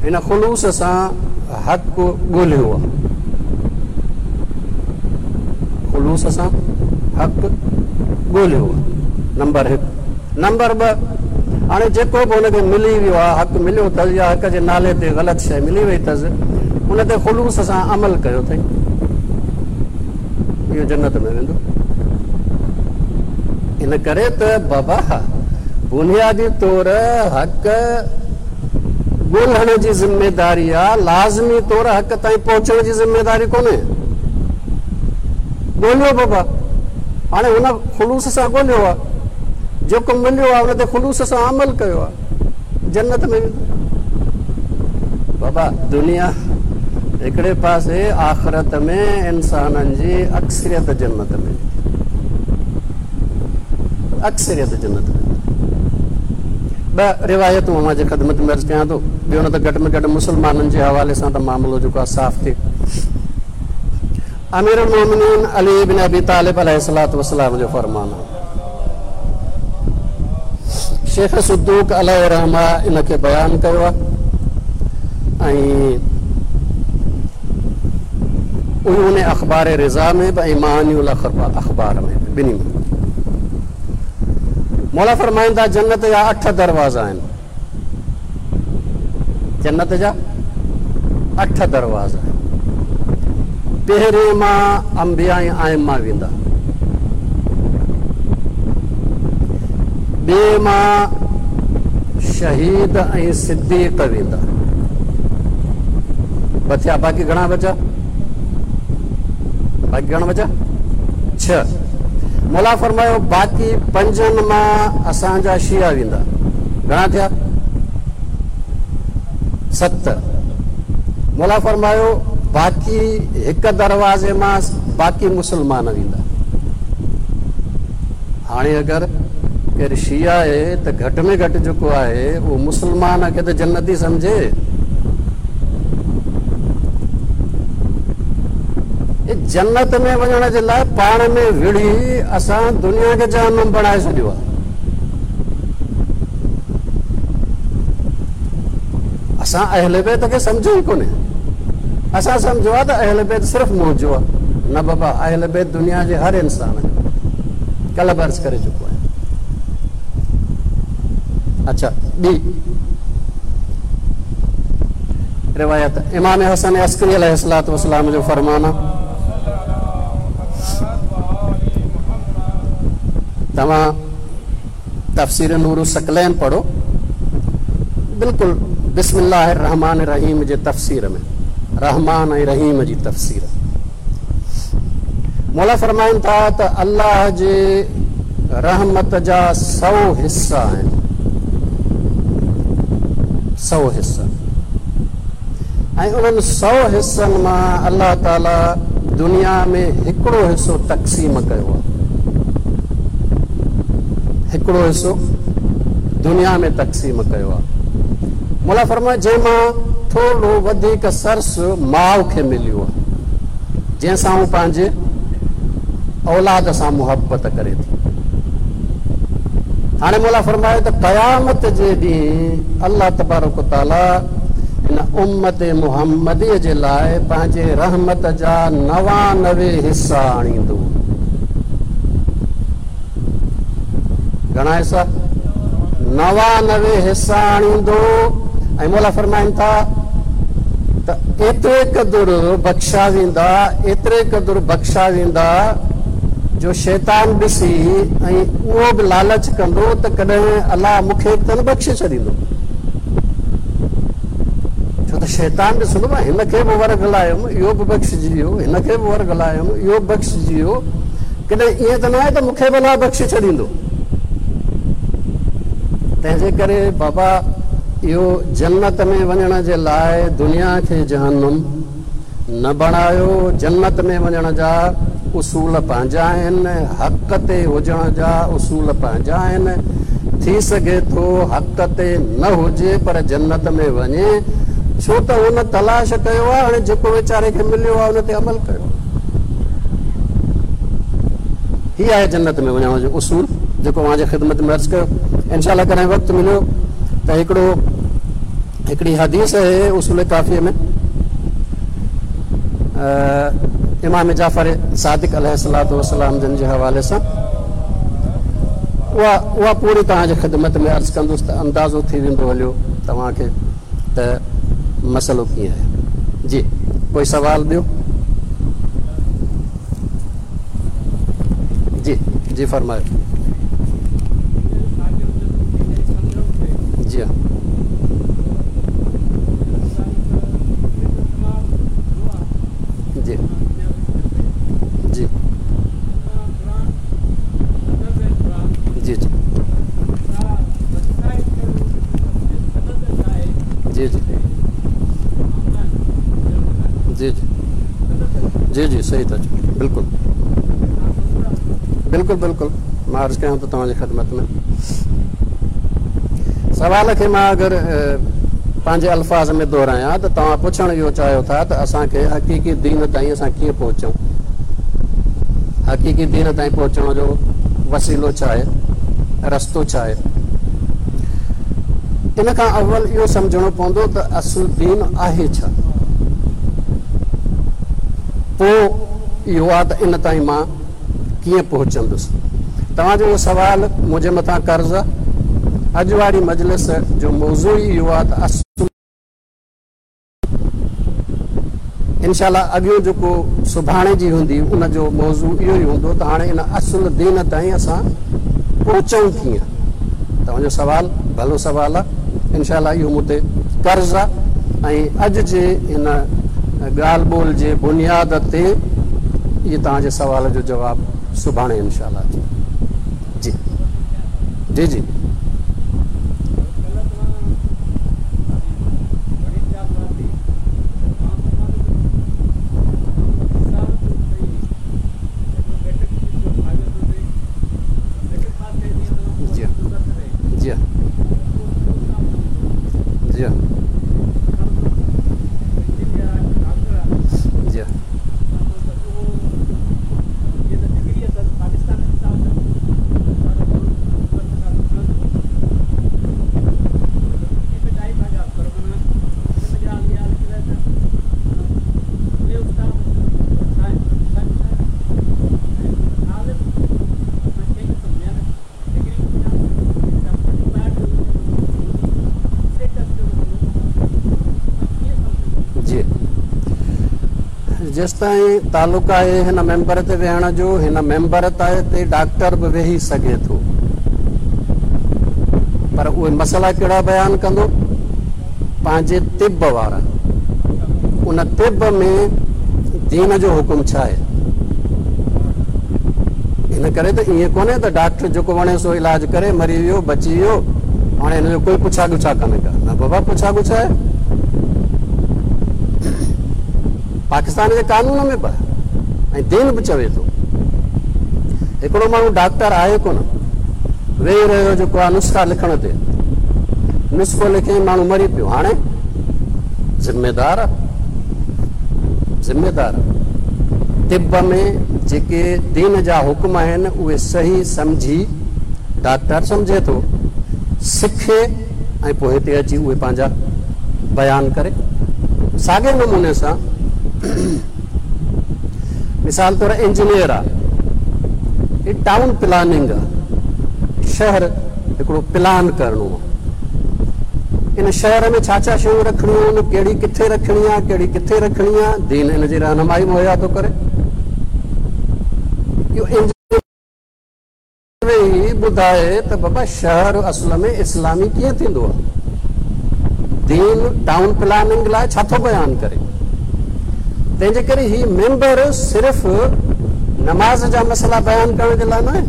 هن خلوص سان حق ڳولهيو آ. خلوص سان حق ڳولهيو آ. نمبر هڪ. نمبر 2، هاڻي جيڪو به هن کي ملي ويو آ، حق مليو اٿس يا حق جي نالي تي غلط شيء ملي وئي اٿس، ان تي خلوص سان عمل ڪيو اٿئي، اهو جنت ۾ ويندو. ان ڪري ته بابا بنيادي طور حق ڳولهڻ جي ذميداري آ، لازمي طور حق تائين پهچڻ جي ذميداري ڪونهي. ڳولهيو بابا، هاڻي هن خلوص سان ڳولهيو آ، جيڪو مليو آ ان تي خلوص سان عمل ڪيو آ، جنت ۾ ويندو. بابا دنيا هڪڙي پاسي آخرت ۾ انسانن جي اڪثريت جنت ۾ ويندي، اڪثريت جنت ۾ ويندي. 2 روايتون اوهان جي خدمت ۾ عرض ڪيان ٿو، ٻيو نه ته گهٽ ۾ گهٽ مسلمانن جي حوالي سان ته معاملو جيڪو آهي صاف ٿئي. امير المومنين علي بن ابي طالب عليه الصلوة والسلام جو فرمان آهي، شيخ صدوق عليه الرحمه ان کي بيان ڪيو آهي ۽ عيون اخبار رضا ۾ به ۽ معاني الاخبار ۾ به، ٻنهي ۾. مولا فرمائن ٿا جنت جا 8 دروازا آهن، جنت جا 8 دروازا آهن. پهرين مان انبياء ۽ ائمه ويندا، ٻئي مان شهيد ۽ صديق ويندا. 2 ٿيا، باقي گهڻا بچا؟ باقي گهڻا بچا؟ 6. مولا فرمايو باقي 5 مان اسان جا شيعا ويندا. گهڻا ٿيا؟ 7. مولا فرمايو باقي هڪ دروازي مان باقي مسلمان ويندا. هاڻي اگر ڪير شيعا آهي ته گهٽ ۾ گهٽ جيڪو آهي اهو مسلمان کي ته جنتي سمجهي. جنت ۾ وڃڻ جي لاء پاڻ ۾ وڙهي اسان دنيا کي جهنم بڻائي ڇڏيو آهي. اسان اهل بيت کي سمجهيو ئي ڪونهي. اسان سمجهيو آهي ته اهل بيت صرف منهنجو آهي. نه بابا، اهل بيت دنيا جي هر انسان جو. ڪلهه به عرض ڪري چڪو آهيان. اڇا ٻي روايت امام حسن عسڪري عليه الصلوة والسلام جو فرمان آهي، توهان تفسير نور الثقلين پڙهو، بلڪل بسم الله الرحمٰن الرحيم جي تفسير ۾ رحمان ۽ رحيم جي تفسير مولا فرمائن ٿا ته الله جي رحمت جا 100 حصا آهن، 100 حصا، ۽ انهن 100 حصن مان الله تعالي دنيا ۾ هڪڙو حصو تقسيم ڪيو آهي، هڪڙو حصو دنيا ۾ تقسيم ڪيو آهي. مولا فرمايو جنهن مان ٿورڙو وڌيڪ سرس ماء کي مليو آهي، جنهن سان هو پنهنجي اولاد سان محبت ڪري ٿي. هاڻي مولا فرمايو ته قيامت جي ڏينهن الله تبارڪ و تعالي هن امت محمديء جي لاء پنهنجي رحمت جا 99 حصا آڻيندو. گهڻا حصا؟ 99 حصا آڻيندو. ۽ مولا فرمائن ٿا ته ايتري قدر بخشا ويندا، ايتري قدر بخشا ويندا جو شيطان ڏسي ۽ اهو به لالچ ڪندو ته ڪڏهن الله مون کي به ته نه بخشي ڇڏيندو. ڇو ته شيطان ڏسندو مان هن کي به ورغلايم اهو به بخشجي ويو، هن کي به ورغلايم اهو به بخشجي ويو، ڪڏهن ائين ته ناهي ته مون کي به الله بخشي ڇڏيندو. تنهن جي ڪري بابا اهو جنت ۾ وڃڻ جي لاء دنيا کي جهنم نه بڻايو. جنت ۾ وڃڻ جا اصول پنهنجا آهن، حق تي هجڻ جا اصول پنهنجا آهن. ٿي سگهي ٿو حق تي نه هجي پر جنت ۾ وڃي، ڇو ته هن تلاش ڪيو آهي، هاڻي جيڪو ويچاري کي مليو آهي ان تي عمل ڪيو آهي. هي آهي جنت ۾ وڃڻ جو اصول جيڪو اوهان جي خدمت ۾ عرض ڪيو. انشاء الله ڪڏهن وقت مليو ته هڪڙو هڪڙي حديث آهي اصول ڪافيء ۾ امام جعفر صادق عليه الصلوة والسلام جن جي حوالي سان اها اها پوري توهان جي خدمت ۾ عرض ڪندس ته اندازو ٿي ويندو هليو توهان کي ته مسئلو ڪيئن آهي. جي ڪوئي سوال ٻيو؟ جي جي فرمايو. جي ها. جي جي جي جي جي جي جي جي جي جي صحيح ٿا چئو بلڪل بلڪل بلڪل مان عرض ڪيان ٿو توهان جي خدمت ۾ سوال کي مان اگر پنهنجي الفاظ ۾ دهرايان ته توهان پڇڻ اهو چاهيو ٿا ته اسان کي حقيقي دين تائين اسان ڪيئن پهچون حقيقي دين تائين پهچڻ جو وسيلو ڇا آهي رستو ڇا آهي ان کان اول اهو سمجهڻو پوندو ته اصل دين آهي ڇا؟ پوء اهو آ ته ان تائين مان ڪيئن پهچندس؟ توهان جو اهو سوال منهنجي مٿان قرض آ. اڄ واري مجلس جو موضوع ئي اهو آ ته اصل انشاء الله اڳيون جيڪو سڀاڻي جي هوندي ان جو موضوع اهو ئي هوندو ته هاڻي ان اصل دين تائين اسان پهچون ڪيئن؟ توهان جو سوال ڀلو سوال آ انشاء الله اهو مون تي قرض آ ۽ اڄ جي هن ڳالهه ٻولهه جي بنياد تي اهي توهان جي سوال جو جواب سڀاڻي انشاء الله اچي جي جي جي. جي جي جي جي جي جيستائين تعلق آهي هن ميمبر تي ويهڻ جو هن ميمبر تي ڊاڪٽر به ويهي سگهي ٿو پر اهي مسئلا ڪهڙا بيان ڪندو پنهنجي طب وارا ان طب ۾ دين جو حڪم ڇا آهي ان ڪري ته ائين ڪونهي ته ڊاڪٽر جيڪو وڻي سو علاج ڪري مري ويو بچي ويو هاڻي هن جو ڪوئي پڇا ڳڇا ڪانهي ڪا نه بابا پڇا ڳڇا آهي پاڪستان جي قانون ۾ به ۽ دين به چوي ٿو هڪڙو ماڻهو ڊاڪٽر آهي ڪونه ويهي رهيو جيڪو آهي نسخا لکڻ تي نسخو لکي ماڻهو مري پيو هاڻي ذميدار ذميدار طب ۾ جيڪي دين جا حڪم آهن اهي صحيح سمجهي ڊاڪٽر سمجهي ٿو سکي ۽ پوء هتي اچي اهي پنهنجا بيان ڪري. ساڳئي نموني سان مثال طور انجنيئر آ هي ٽائون پلاننگ آ شهر هڪڙو پلان ڪرڻو آ ان شهر ۾ ڇا ڇا شيون رکڻيون آهن ڪهڙي ڪٿي رکڻي آ ڪهڙي ڪٿي رکڻي آ دين ان جي رهنمائي مهيا ٿو ڪري اهو ويهي ٻڌائي ته بابا شهر اصل ۾ اسلامي ڪيئن ٿيندو آهي؟ دين ٽائون پلاننگ لاء ڇا ٿو بيان ڪري؟ تنهن جي ڪري هي ميمبر صرف نماز جا مسئلا بيان ڪرڻ جي لاء ناهي،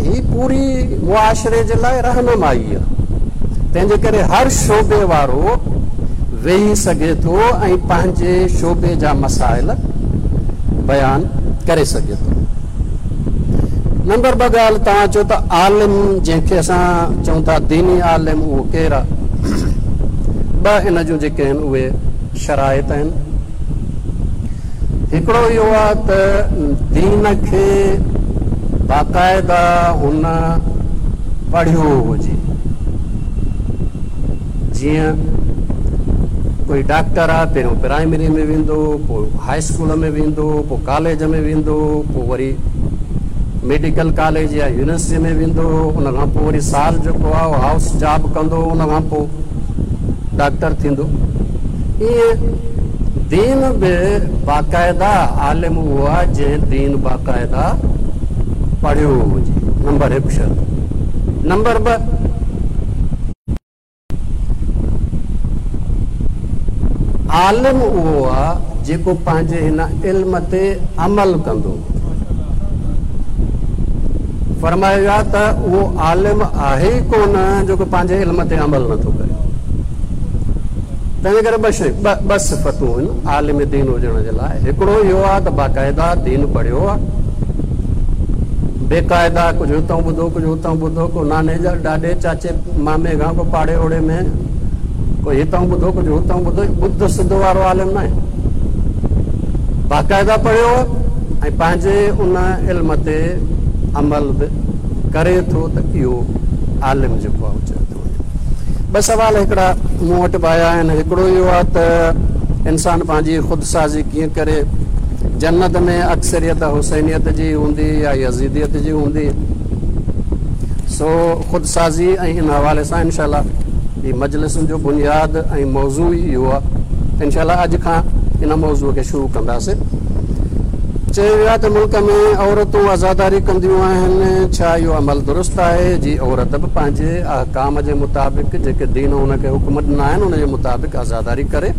هي پوري معاشري جي لاء رهنمائي آهي. تنهن جي ڪري هر شعبي وارو ويهي سگهي ٿو ۽ پنهنجي شعبي جا مسائل بيان ڪري سگهي ٿو. نمبر ٻه ڳالهه توهان چئو ته عالم جنهن کي اسان چئون ٿا ديني عالم اهو ڪير آهي؟ ٻه ان جون جيڪي آهن اهي شرائط آهن. هڪڙو اهو آهي ته دين کي باقاعده هن پڙهيو هجي. جيئن ڪوئي ڊاڪٽر آ، پهريون پرائمري ۾ ويندو، پوء هاء اسڪول ۾ ويندو، پوء ڪاليج ۾ ويندو، پوء وري ميڊيڪل ڪاليج يا يونيورسٽي ۾ ويندو، ان کان پوء وري سال جيڪو آ اهو هائوس جاب ڪندو، ان کان پوء ڊاڪٽر ٿيندو. ائين دين به باقاعده عالم اهو آ جنهن دين باقاعده پڙهيو هجي. نمبر هڪ شرط. نمبر ٻه. عالم اهو آ جيڪو پنهنجي هن علم تي عمل ڪندو. فرمايو ويو آ ته اهو عالم آهي ئي ڪونه جيڪو پنهنجي علم تي عمل نٿو ڪري. تنهنجي ڪري ٻه شيون، ٻه صفتون آهن عالم دين هجڻ جي لاء. هڪڙو اهو آ ته باقاعده دين پڙهيو آ. بيقاعده ڪجهه هتئون ٻڌو ڪجهه هتئون ٻڌو، ڪو ناني جا ڏاڏي چاچي مامي کان ڪو پاڙي اوڙي ۾ ڪو هتئون ٻڌو ڪجهه هتئون ٻڌو، ٻڌ سڌ وارو عالم ناهي. باقاعده پڙهيو ۽ پنهنجي ان علم تي عمل به ڪري ٿو ته اهو عالم جيڪو آهي چيو ٿو وڃي. ٻه سوال هڪڙا مون وٽ به آيا آهن، هڪڙو اهو آهي ته انسان پنهنجي خود سازي ڪيئن ڪري؟ جنت ۾ اڪثريت حسينيت جي هوندي يا يزيديت جي هوندي؟ سو خود سازي ۽ ان حوالي سان انشاء الله هي مجلسن جو بنياد ۽ موضوع ئي اهو آهي. انشاء الله اڄ کان ان موضوع کي شروع ڪنداسين. چيو ويو آهي ته ملڪ ۾ عورتون عزاداري ڪنديون آهن، ڇا اهو عمل درست آهي؟ جي عورت به پنهنجي احڪام جي مطابق جيڪي دين ان کي حڪم ڏنا آهن ان جي مطابق عزاداري ڪري،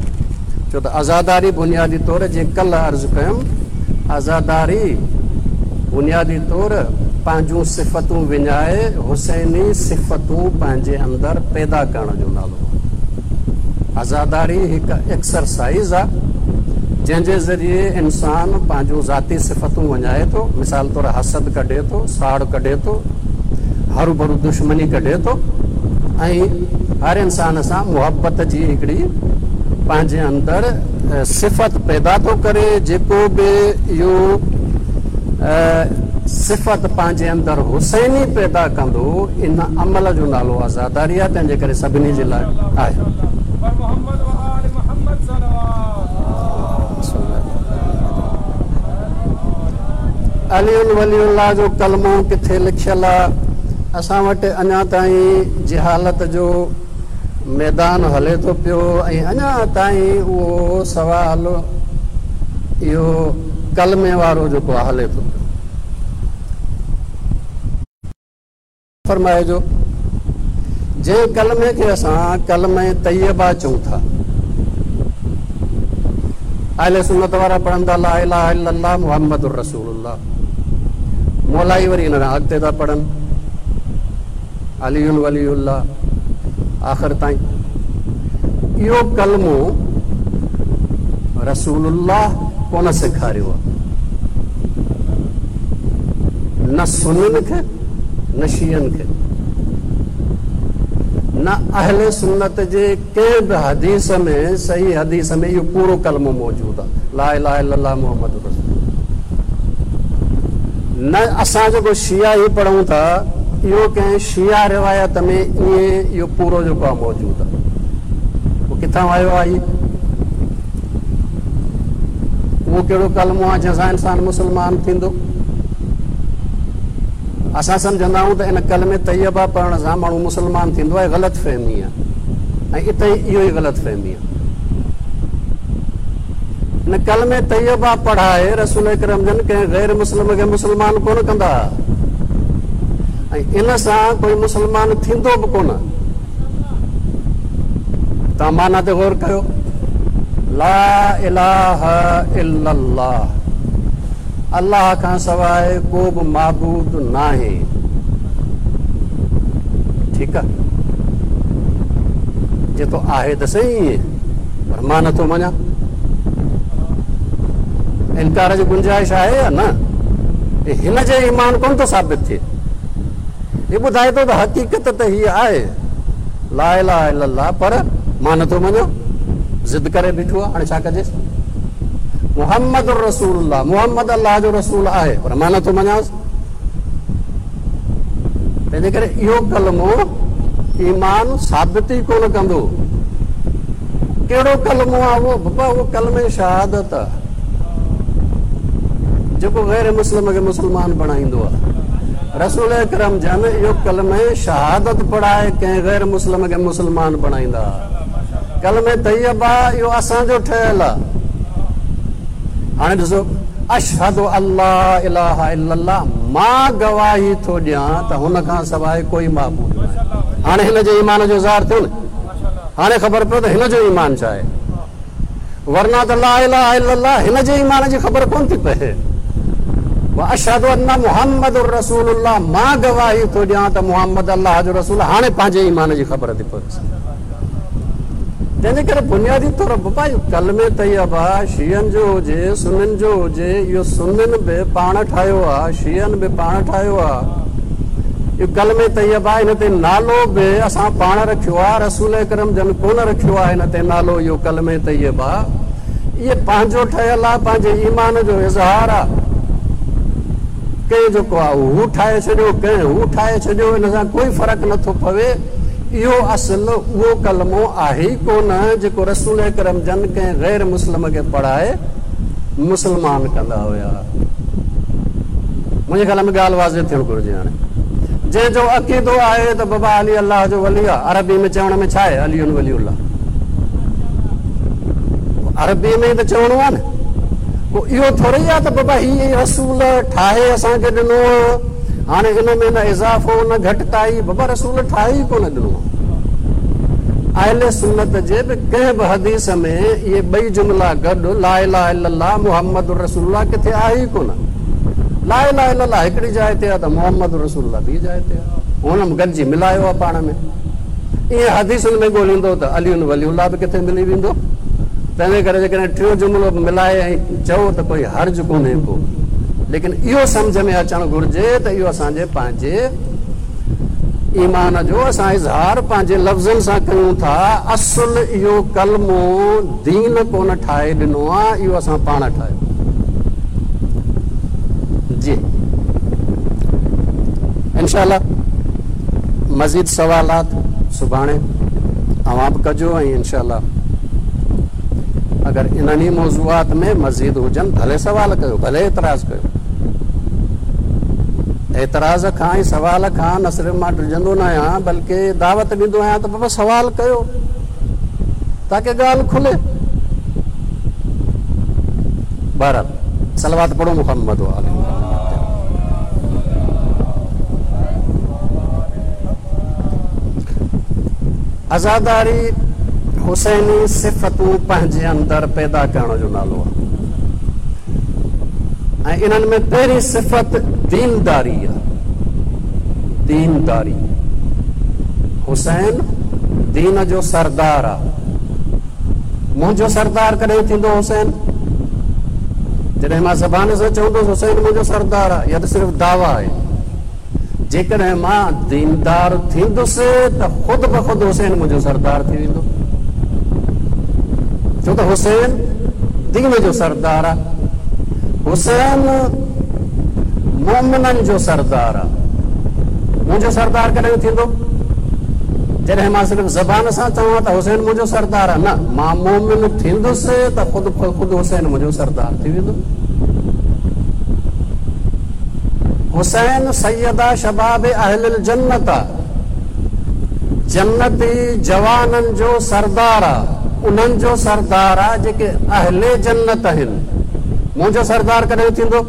ڇو ته عزاداري بنيادي طور جيئن ڪلهه عرض ڪيم عزاداري بنيادي طور پنهنجون صفتون وڃائي حسيني صفتون پنهنجي اندر پيدا ڪرڻ جو نالو آهي. عزاداري هڪ ايڪسرسائيز آهي جنهن جي ذريعي انسان پنهنجون ذاتي صفتون وڃائي ٿو، مثال طور حسد ڪڍي ٿو، ساڙ ڪڍي ٿو، هروڀرو دشمني ڪڍي ٿو ۽ هر انسان سان محبت جي هڪڙي پنهنجي اندر صفت پيدا ٿو ڪري، جيڪو به اهو صفت پنهنجي اندر حسيني پيدا ڪندو ان عمل جو نالو عزاداري آهي، تنهن جي ڪري سڀني جي لاء آهي. علي ولي الله جو ڪلمو ڪٿي لکيل آ؟ اسان وٽ اڃا تائين جهالت جو ميدان هلي ٿو پيو ۽ اڃا تائين اهو سوال اهو ڪلمي وارو جيڪو آ هلي ٿو پيو. فرمائي جو جنهن ڪلمي کي اسان ڪلمه طيبه چئون ٿا، اهل سنت وارا پڙهن ٿا لا اله الا الله محمد رسول الله، مولائي وري ان کان اڳتي ٿا پڙهن علي ولي الله آخر تائين. اهو ڪلمو رسول الله ڪونه سيکاريو آهي، نه سنين کي نه شيعن کي، نه اهل سنت جي ڪنهن به حديث ۾ صحيح حديث ۾ اهو پورو ڪلمو موجود آهي لا اله الا الله محمد رسول الله. نه اسان جيڪو شيعا هي پڙهون ٿا اهو ڪنهن شيعا روايت ۾ ائين اهو پورو جيڪو آهي موجود آهي. اهو ڪٿان آيو آهي؟ اهو ڪهڙو ڪلمو آهي جنهن سان انسان مسلمان ٿيندو؟ اسان سمجهندا آهيون ته ان ڪلمي طيبه پڙهڻ سان ماڻهو مسلمان ٿيندو آهي، غلط فهمي آهي ۽ اتي اهو ئي غلط فهمي آهي. ان ڪلمي طيبه پڙهائي رسول اڪرم جن ڪنهن غير مسلم کي مسلمان ڪونه ڪندا ۽ ان سان ڪوئي مسلمان ٿيندو به ڪونه. توهان معنيٰ تي غور ڪريو، لا اله الا الله، الله کان سواء ڪو به معبود ناهي. ٺيڪ آ، جي تو آهي ته سهي ائين، پر مان نٿو مڃان. انڪار جي گنجائش آهي يا نه؟ هن جي ايمان ڪونه ٿو ثابت ٿئي. هي ٻڌائي ٿو ته حقيقت ته هيء آهي، لا اله الا الله، پر مان نٿو مڃان، ضد ڪري بيٺو آهي، هاڻي ڇا ڪجيس؟ محمد رسول الله، محمد الله جو رسول آهي، پر مان نٿو مڃانس. تنهنجي ڪري اهو ڪلمو ايمان ثابت ئي ڪونه ڪندو. ڪهڙو ڪلمو آ اهو؟ بابا اهو ڪلمه شهادت آ جيڪو غير مسلم کي مسلمان بڻائيندو آ. رسول اڪرم جن اهو ڪلمه شهادت پڙهائي ڪنهن غير مسلم کي مسلمان بڻائيندا ها. ڪلمه طيبه اهو اسان جو ٺهيل آ. هاڻي ڏسو اشهد ان لا اله الا الله مان گواهي ٿو ڏيان ته هن کان سواء ڪوئي معبود ناهي. هاڻي هن جي ايمان جو اظهار ٿيو نه. هاڻي خبر پيو ته هن جو ايمان ڇا آهي. ورنه ته لا اله الا الله هن جي ايمان جي خبر ڪونه ٿي پئي. واشهد ان محمد رسول الله مان گواهي ٿو ڏيان ته محمد الله جو رسول آهي. هاڻي پنهنجي ايمان جي خبر ٿي پويس. تنهن جي ڪري بنيادي طور بابا اهو ڪلمه طيبه شيعن جو هجي سنين جو هجي اهو سنين به پاڻ ٺاهيو آهي شيعن به پاڻ ٺاهيو آهي. اهو ڪلمه طيبه ان تي نالو به اسان پاڻ رکيو آهي، رسول اڪرم جن ڪونه رکيو آهي ان تي نالو اهو ڪلمه طيبه اهي پنهنجو ٺهيل آهي، پنهنجي ايمان جو اظهار آهي. ڪنهن جيڪو آهي هو ٺاهي ڇڏيو، ڪنهن هو ٺاهي ڇڏيو، ان سان ڪوئي فرق نه ٿو پوي. اهو اصل اهو ڪلمو آهي ئي ڪونه جيڪو رسول اڪرم جن ڪنهن غير مسلم کي پڙهائي مسلمان ڪندا هيا. منهنجي خيال ۾ ڳالهه واضح ٿيڻ گهرجي هاڻي جنهن جو عقيدو آهي ته بابا علي الله جو ولي آهي عربي ۾ چوڻ ۾ ڇا آهي علي ولي الله عربي ۾ ته چوڻو آهي نه پوء اهو ٿوري آهي ته بابا هي رسول ٺاهي اسان کي ڏنو هاڻي ان ۾ نه اضافو نه گهٽتائي بابا رسول ٺاهي ئي ڪونه ڏنو آهي اهل سنت جي به ڪنهن به حديث ۾ اهي ٻئي جملا گڏ لا اله الا الله محمد رسول الله ڪٿي آهي ئي ڪونه. لا اله الا الله هڪڙي جاء تي آهي ته محمد رسول الله ٻي جاء تي آهي. هن گڏجي ملايو آهي پاڻ ۾. ائين حديثن ۾ ڳوليندو ته علي ولي الله به ڪٿي ملي ويندو. تنهنجي ڪري جيڪڏهن ٽيون جملو به ملائي ۽ چئو ته ڪوئي حرج ڪونهي ڪو. ليڪن اهو سمجهه ۾ اچڻ گهرجي ته اهو اسان جي پنهنجي ايمان جو اسان اظهار پنهنجي لفظن سان ڪيون ٿا، اصل اهو ڪلمو دين ڪونه ٺاهي ڏنو آ، اهو اسان پاڻ ٺاهيو. جي انشاء الله مزيد سوالات سڀاڻي اوهان به ڪجو ۽ انشاء الله اگر انهن ئي موضوعات ۾ مزيد هجن ڀلي سوال ڪيو ڀلي اعتراض ڪيو. اعتراض کان ۽ سوال کان نه صرف مان ڊڄندو نه آهيان بلڪه دعوت ڏيندو آهيان ته بابا سوال ڪيو تاڪه ڳالهه کلي. بهرحال صلوات پڙهو محمد وآل محمد تي. عزاداري حسيني صفتون پنهنجي اندر پيدا ڪرڻ جو نالو آهي. ۽ انهن ۾ پهرين صفت دينداري آ. دينداري. حسين دين جو سردار آ. منهنجو سردار ڪڏهن ٿيندو حسين؟ جڏهن مان زبان سان چوندس حسين منهنجو سردار آ، اها ته صرف دعويٰ آهي. جيڪڏهن مان ديندار ٿيندس ته خود بخود حسين منهنجو سردار ٿي ويندو، ڇو ته حسين دين جو سردار آ، حسين مؤمنن جو سردار آ. منهنجو سردار ڪڏهن ٿيندو؟ جڏهن مان صرف زبان سان چوان ته حسين منهنجو سردار آ، نه، مان مؤمن ٿيندس ته خود بخود حسين منهنجو سردار ٿي ويندو. حسين سيدا شباب اهل الجنت آ، جنتي جوانن جو سردار آ، انهن جو سردار آ جيڪي اهل جنت آهن. منهنجو سردار ڪڏهن ٿيندو؟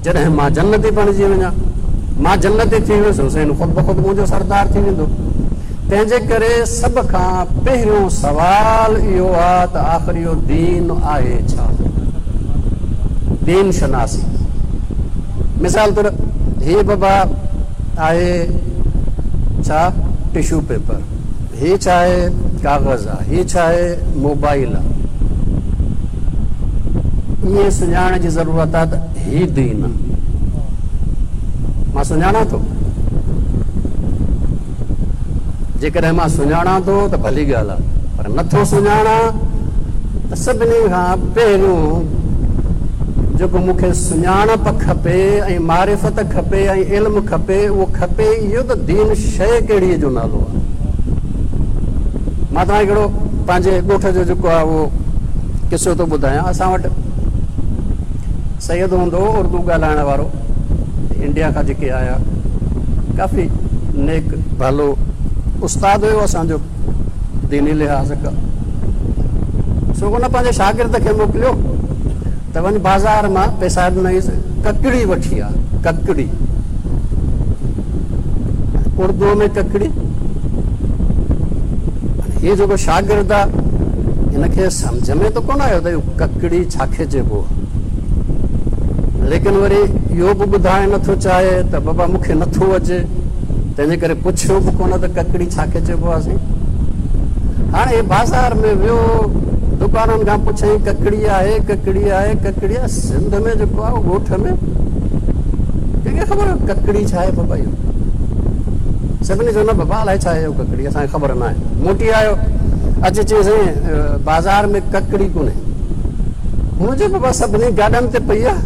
جڏهن مان جنتي بڻجي وڃان. مان جنتي ٿي ويس، حسين خود بخود منهنجو سردار ٿي ويندو. تنهن جي ڪري سڀ کان پهريون سوال اهو آ ته آخر اهو دين آهي ڇا؟ دين شناسي. مثال طور هي بابا آهي ڇا؟ Tissue paper. هي ڇا آهي؟ ڪاغذ آ. هي ڇا آهي؟ موبائل آ. ائين سڃاڻڻ جي ضرورت آ ته هي دين آ. مان سڃاڻان ٿو. جيڪڏهن مان سڃاڻان ٿو ته ڀلي ڳالهه آهي پر نه ٿو سڃاڻان ته سڀني کان پهريون جيڪو مون کي سڃاڻپ کپي ۽ معرفت کپي ۽ علم کپي اهو کپي اهو ته دين شيء ڪهڙي جو نالو آهي. مان توهان کي هڪڙو پنهنجي ڳوٺ جو جيڪو آهي اهو قصو ٿو ٻڌايان. اسان وٽ سيد هوندو هو اردو ڳالهائڻ وارو، انڊيا کان جيڪي آيا، ڪافي نيڪ ڀلو استاد هيو اسان جو ديني لحاظ کان. سو ان پنهنجي شاگرد کي موڪليو ته وڃ بازار مان پئسا ڏنائينس، ڪڪڙي وٺي آ، ڪڪڙي، اردوء ۾ ڪڪڙي. هي جيڪو شاگرد آ هن کي سمجهه ۾ ته ڪونه آيو ته اهو ڪڪڙي ڇا کي چئبو آ، ليڪن وري اهو به ٻڌائڻ نٿو چاهي ته بابا مون کي نٿو اچي، تنهنجي ڪري پڇيو به ڪونه ته ڪڪڙي ڇا کي چئبو آ سائين. هاڻي هي بازار ۾ ويو، دڪانن کان پڇيائين ڪڪڙي آهي، ڪڪڙي آهي، ڪڪڙي آهي. سنڌ ۾ جيڪو آهي ڳوٺ ۾ ڪنهن کي خبر ڪڪڙي ڇا آهي بابا اهو؟ سڀني چيو نه بابا الائي ڇا آهي اهو ڪڪڙي، اسان کي خبر ناهي. موٽي آيو، اچي چيائين سائين بازار ۾ ڪڪڙي ڪونهي. هن چيو بابا سڀني گاڏن تي پئي آهي.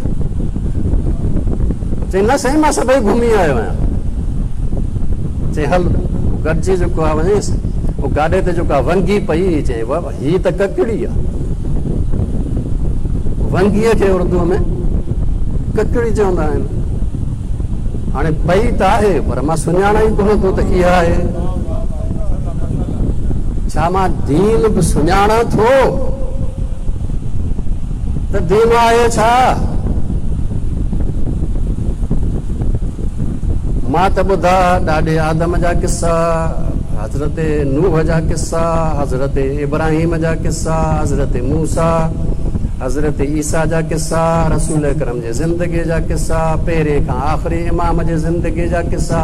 چيائين نه سائين مان سڀئي گهمي آيو آهيان. چيائين هل گڏجي جيڪو آهي وڃيس. پوء گاڏي تي جيڪا ونگي پئي هئي، چيائين بابا هي ته ڪڪڙي آهي. ونگيء کي اردوء ۾ ڪڪڙي چوندا آهن. هاڻي پئي ته آهي پر مان سڃاڻان ئي ڪونه ٿو ته اها آهي. ڇا مان دين به سڃاڻان ٿو ته دين آهي ڇا؟ مان ته ٻڌا ڏاڏي آدم جا قصا، حضرت نوح جا قصا، حضرت ابراهيم جا قصا، حضرت موسيٰ، حضرت عيسيٰ جا قصا، رسول اڪرم جي زندگي جا قصا، پهرين کان آخري امام جي زندگي جا قصا،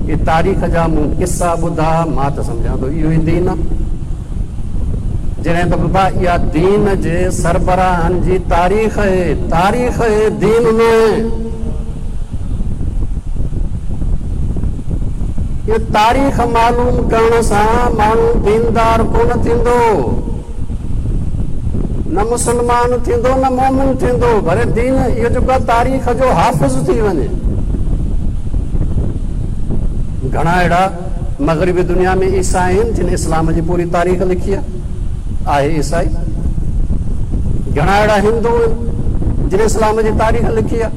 اهي تاريخ جا مون قصا ٻڌا، مان ته سمجهان ٿو اهو ئي دين آ. جڏهن ته بابا اها دين جي سربراهن جي تاريخ اهي، تاريخ اهي، دين ناهي. اهو تاريخ معلوم ڪرڻ سان ماڻهو ديندار ڪونه ٿيندو، نه مسلمان ٿيندو نه مومن ٿيندو، ڀلي دين اهو جيڪو آهي تاريخ جو حافظ ٿي وڃي. گهڻا اهڙا مغربي دنيا ۾ عيسائي آهن جن اسلام جي پوري تاريخ لکي آهي، آهي عيسائي. گهڻا اهڙا هندو آهن جن اسلام جي تاريخ لکي آهي.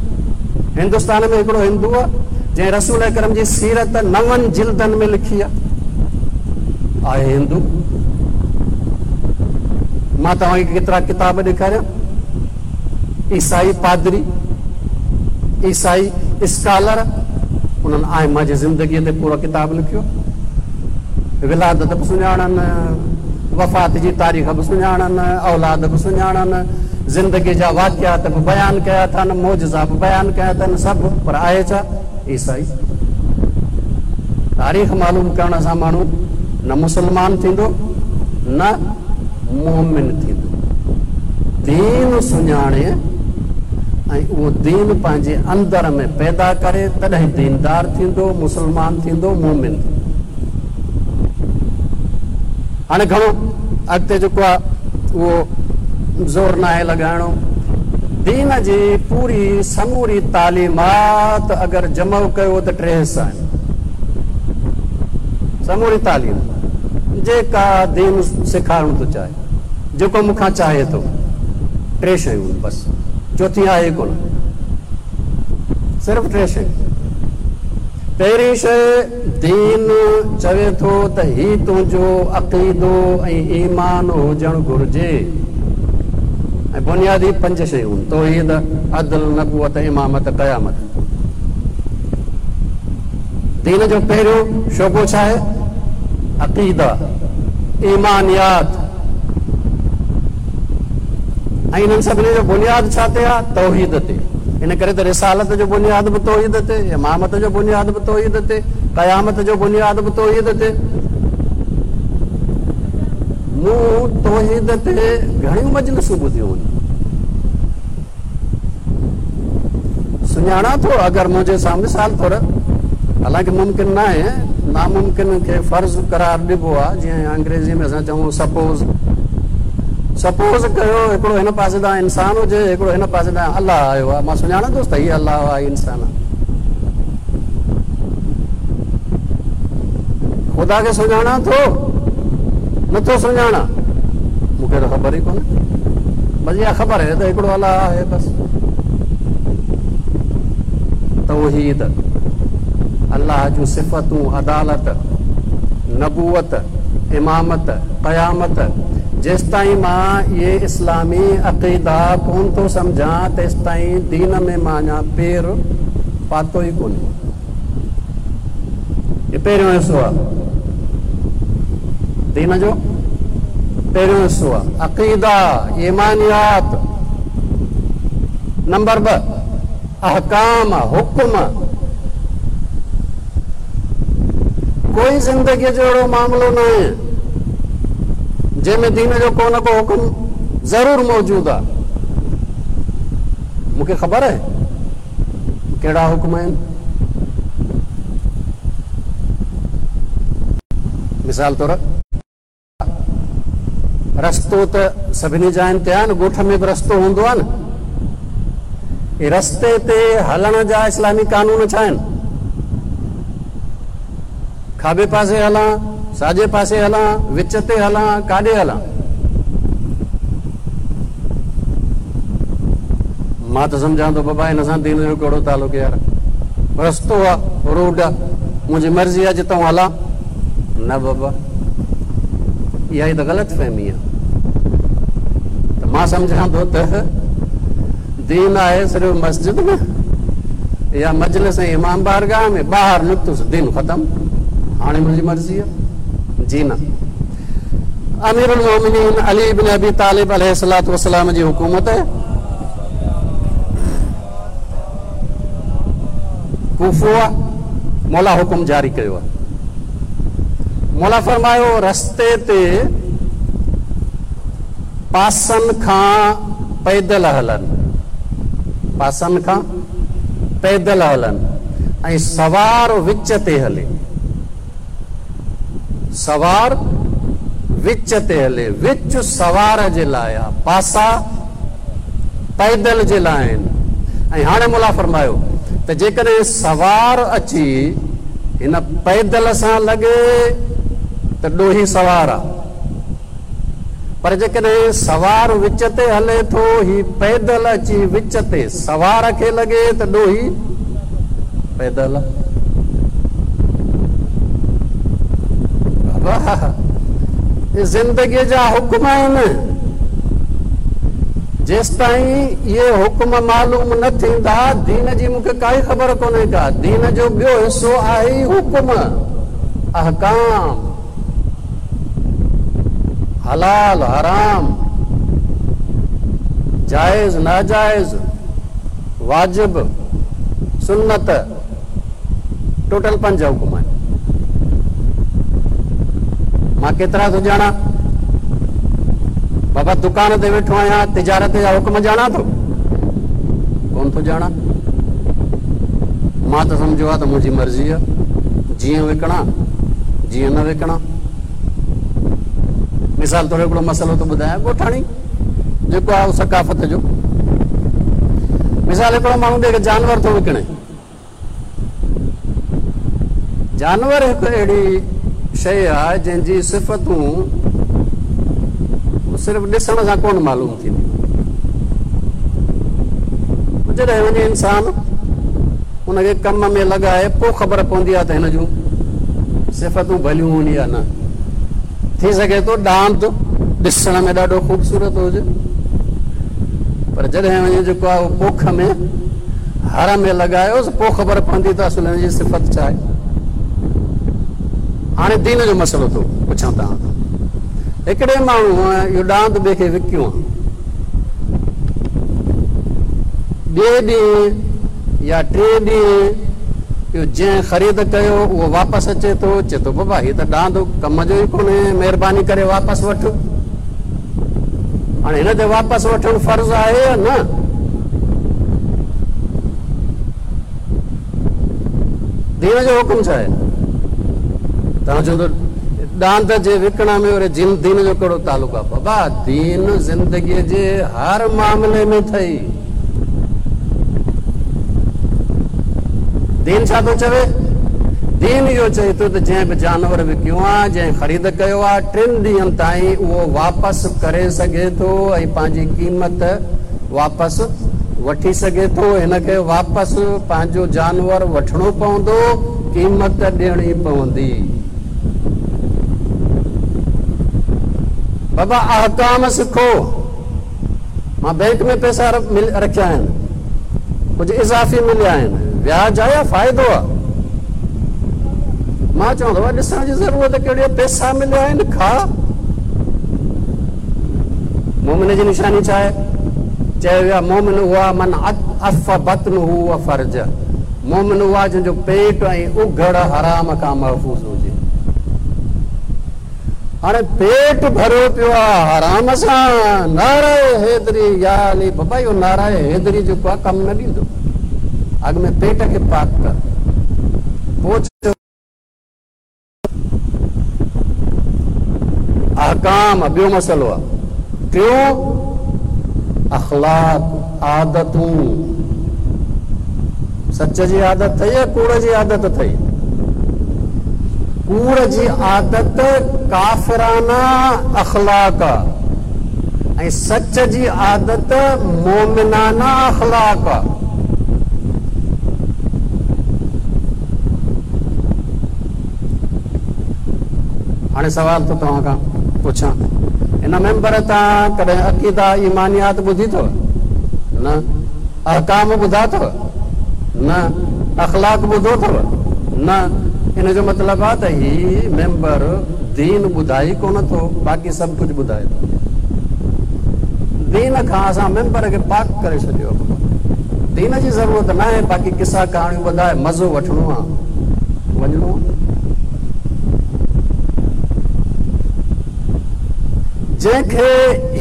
هندستان ۾ هڪڙو هندو آهي جنهن رسول اڪرم جي سيرت نون جلدن ۾ لکي آهي، آهي هندو. مان توهان کي ڪيترا ڪتاب ڏيکاريان. عيسائي پادري، عيسائي اسڪالر انهن آئمه جي زندگيء تي پورو ڪتاب لکيو. ولادت به سڃاڻن، وفات جي تاريخ به سڃاڻن، اولاد به سڃاڻن، زندگيء جا واقعات به بيان ڪيا اٿن، معجزا به بيان ڪيا اٿن، سڀ پر آهي ڇا؟ عيسائي. تاريخ معلوم ڪرڻ سان ماڻهو نه مسلمان ٿيندو نه مؤمن ٿيندو. دين سڃاڻي ۽ اهو دين پنهنجي اندر ۾ پيدا ڪري تڏهن ديندار ٿيندو، مسلمان ٿيندو، مؤمن ٿيندو. هاڻي گهڻو اڳتي جيڪو آهي اهو زور ناهي لڳائڻو. دين جي پوري سموري تعليمات اگر جمع ڪيو ته ٽي حصا آهن. سموري تعليم جيڪا دين سيکارڻ ٿو چاهي، جيڪو مون کان چاهي ٿو، ٽي شيون آهن بس، چوٿين آهي ئي ڪونه، صرف ٽي شيون. پهرين شيء دين چوي ٿو ته هي تنهنجو عقيدو ۽ ايمان هجڻ گهرجي ۽ بنيادي پنج شيون، توحيد، عدل، نبوت، امامت، قيامت. دين جو پهريون شعبو ڇا آهي؟ عقيده، ايمانيات ۽ انهن سڀني جو بنياد ڇا تي آهي؟ توحيد تي. ان ڪري ته رسالت جو بنياد به توحيد تي، امامت جو بنياد به توحيد تي، قيامت جو بنياد به توحيد تي. مون توحيد تي گهڻيون مجلسون ٻڌيون آهن. سڃاڻان ٿو اگر منهنجي سامهون مثال طور حالانڪه ممڪن ناهي ناممڪن کي فرض قرار ڏبو آهي جيئن انگريزي ۾ اسان چئون سپوز سپوز ڪيو هڪڙو هن پاسي تان انسان هجي هڪڙو هن پاسي تان الله آيو آهي مان سڃاڻندس ته هي الله آهي هي انسان آهي خدا کي سڃاڻان ٿو نٿو سڃاڻان. مون کي ته خبر ئي ڪونهي. بس اها خبر آهي ته هڪڙو الله آهي بس. توحيد، الله جون صفتون، عدالت، نبوت، امامت، قيامت، جيستائين مان اهي اسلامي عقيدا ڪونه ٿو سمجهان تيستائين دين ۾ مان اڃا پير پاتو ئي ڪونهي. هي پهريون حصو آهي دين جو پهريون حصو آهي عقيدا ايمانيات نمبر 2 احڪام حڪم ڪوئي زندگيء جو اهڙو معاملو ناهي جنهن ۾ دين جو ڪو نه ڪو حڪم ضرور موجود آهي مون کي خبر آهي ڪهڙا حڪم آهن؟ مثال طور رستو ته سڀني جاين تي آهي نه، ڳوٺ ۾ به رستو هوندو آهي نه. رستي تي هلڻ جا اسلامي قانون ڇا آهن؟ کاٻي پاسي هلان، ساڄي پاسي هلان، وچ تي هلان، ڪاڏي هلان؟ مان ته سمجهان ٿو بابا هن سان دين جو ڪهڙو تعلق يار. رستو آ، روڊ آ، منهنجي مرضي آ جتان هلان. نه بابا، اها ئي ته غلط فهمي آ. ته مان سمجهان ٿو ته دين آهي صرف مسجد ۾ يا مجلس ۽ امام بارگاهه ۾، ٻاهر نڪتس دين ختم، هاڻي منهنجي مرضي آ. جي نه. امير المومنين علي بن ابي طالب عليه الصلوة والسلام جي حڪومت ڪوفو آ، مولا حڪم جاري ڪيو آ. مولا فرمايو رستي تي پاسن کان پيدل هلن، پاسن کان پيدل هلن ۽ سوار وچ تي هلي. سوار وچ تي هلي، وچ سوار جي لاء آ، پاسا پيدل جي لاء آهن. ۽ هاڻي مولا فرمايو ته جيڪڏهن سوار اچي هن پيدل سان لڳي ته ڏوهي سوار آ. پر جيڪڏهن سوار وچ تي هلي ٿو، هي پيدل اچي وچ تي سوار کي لڳي ته ڏوهي پيدل. بابا اهي زندگيء جا حڪم آهن. جيستائين اهي حڪم معلوم نه ٿيندا، دين جي مون کي ڪائي خبر ڪونهي ڪا. دين جو ٻيو حصو آهي ئي حڪم، احڪام. حلال حرام، جائز ناجائز، واجب، سنت، ٽوٽل 5 حڪم آهن. مان ڪيترا ٿو ڄاڻان؟ بابا دڪان تي ويٺو آهيان، تجارت جا حڪم ڄاڻان ٿو؟ ڪونه ٿو ڄاڻان. مان ته سمجهيو آهي ته منهنجي مرضي آهي، جيئن وڪڻان جيئن نه وڪڻان. مثال طور هڪڙو مسئلو ٿو ٻڌايان، ڳوٺاڻي جيڪو آهي ثقافت جو مثال، هڪڙو ماڻهو ٻئي کي جانور ٿو وڪڻي. جانور هڪ اهڙي شيء آهي جنهن جي صفتون صرف ڏسڻ سان ڪونه معلوم ٿينديون. جڏهن وڃي انسان ان کي ڪم ۾ لڳائي پوء خبر پوندي آهي ته هن جون صفتون ڀليون هن يا نه. ٿي سگهي ٿو ڏاند ڏسڻ ۾ ڏاڍو خوبصورت هجي، پر جڏهن وڃي جيڪو آهي اهو پوک ۾ هر ۾ لڳايوس پوء خبر پوندي ته اصل هن جي صفت ڇا آهي. هاڻي دين جو مسئلو ٿو پڇان توهان کان. هڪڙي ماڻهوء اهو ڏاند ٻئي کي وڪيو آهي. ٻئي ڏينهن يا ٽئين ڏينهن اهو جنهن خريد ڪيو اهو واپس اچي ٿو، چئي ٿو بابا هي ته ڏاند ڪم جو ئي ڪونهي، مهرباني ڪري واپس وٺ. هاڻي هن تي واپس وٺڻ فرض آهي يا نه؟ دين جو حڪم ڇا آهي؟ توهان چوندو ڏاند جي وڪڻ ۾ وري جن دين جو ڪهڙو تعلق آهي؟ بابا دين زندگيء جي هر معاملي ۾ اٿئي. دين ڇا ٿو چوي؟ دين اهو چئي ٿو ته جنهن به جانور وڪيو آ، جنهن خريد ڪيو آ، ٽن ڏينهن تائين اهو واپس ڪري سگهي ٿو ۽ پنهنجي قيمت واپس وٺي سگهي ٿو. هن کي واپس پنهنجو جانور وٺڻو پوندو، قيمت ڏيڻي پوندي. بابا احڪام سکو. مان بئنڪ ۾ پئسا رکيا آهن، ڪجهه اضافي مليا آهن، وياج آ يا فائدو آ؟ مان چوان ٿو ڏسڻ جي ضرورت ڪهڙي آ، پئسا مليا آهن کاء. مومن جي نشاني ڇا آهي؟ چيو ويو آهي مومن اهو آهي من عف بطنه و فرجه، مومن اهو آهي جنهن جو پيٽ ۽ اگهڙ حرام کان محفوظ هجي. هاڻي پيٽ ڀريو پيو آ حرام سان، نعره حيدري يا علي، بابا اهو نعره حيدري جيڪو آ ڪم نه ڏيندو، اڳ ۾ پيٽ کي پاڪ ڪر پوء چئو. احڪام ٻيو مسئلو آ، ٽيون اخلاق، عادتون، سچ جي عادت اٿئي يا ڪوڙ جي عادت اٿئي؟ ڪوڙ جي عادت ڪافرانه اخلاق آ ۽ سچ جي عادت مومنانه اخلاق آ. هاڻي سوال ٿو توهان کان پڇان، هن منبر تان ڪڏهن عقيده ايمانيات ٻڌي اٿو؟ نه. احڪام ٻڌا اٿو؟ نه. اخلاق ٻڌو اٿو؟ نه. ان جو مطلب آ ته هي ميمبر دين ٻڌائي ڪونه ٿو باقي سڀ ڪجهه ٻڌائي ٿو. دين کان اسان ميمبر کي پاڪ ڪري ڇڏيو آ بابا. دين جي ضرورت ناهي باقي قصا ڪهاڻيون ٻڌائي مزو وٺڻو آ وڃڻو آ. جنهن کي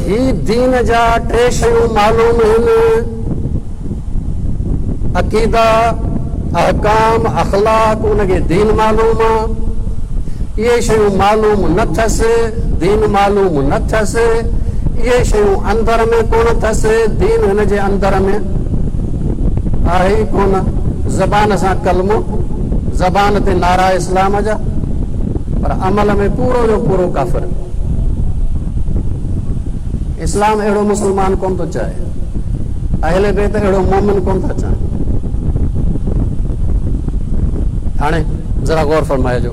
هي دين جا ٽي شيون معلوم هن، عقيده، احڪام، اخلاق، ان کي دين معلوم آ. اهي شيون معلوم نه ٿس، دين معلوم نه ٿس. اهي شيون اندر ۾ ڪونه ٿس، دين هن جي اندر ۾ آهي ئي ڪونه. زبان سان ڪلمو، زبان تي نعرا اسلام جا. پر عمل ۾ پورو جو پورو ڪافر. اسلام اهڙو مسلمان ڪونه ٿو چاهي. اهل بيت اهڙو مومن ڪونه ٿا چاهين. هاڻي ذرا غور فرمائجو.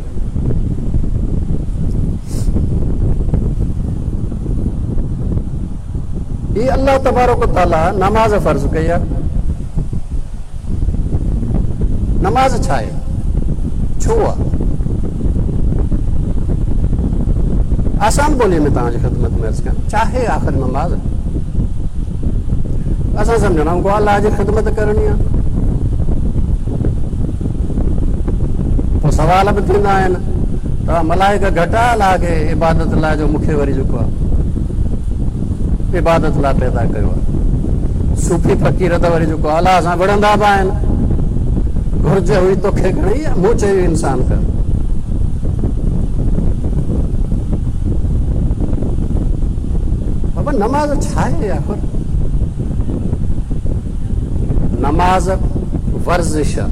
هي الله تبارڪ و تعالي نماز فرض ڪئي آهي. نماز ڇا آهي؟ ڇو آ؟ آسان ٻوليء ۾ توهان جي خدمت ۾ عرض ڪيان، ڇا آهي آخر نماز؟ اسان سمجهندا آهيون ڪو الله جي خدمت ڪرڻي آهي. پوء سوال به ٿيندا آهن ته ملائڪ گهٽ آ الله کي عبادت لاء جو مون کي وري جيڪو آ عبادت لاء پيدا ڪيو آ. صوفي فقير ته وري جيڪو الله سان وڙهندا به آهن. گهرج هئي توکي گهڻي يا مون چيو انسان ڪر. بابا نماز ڇا آهي آخر؟ نماز ورزش آ،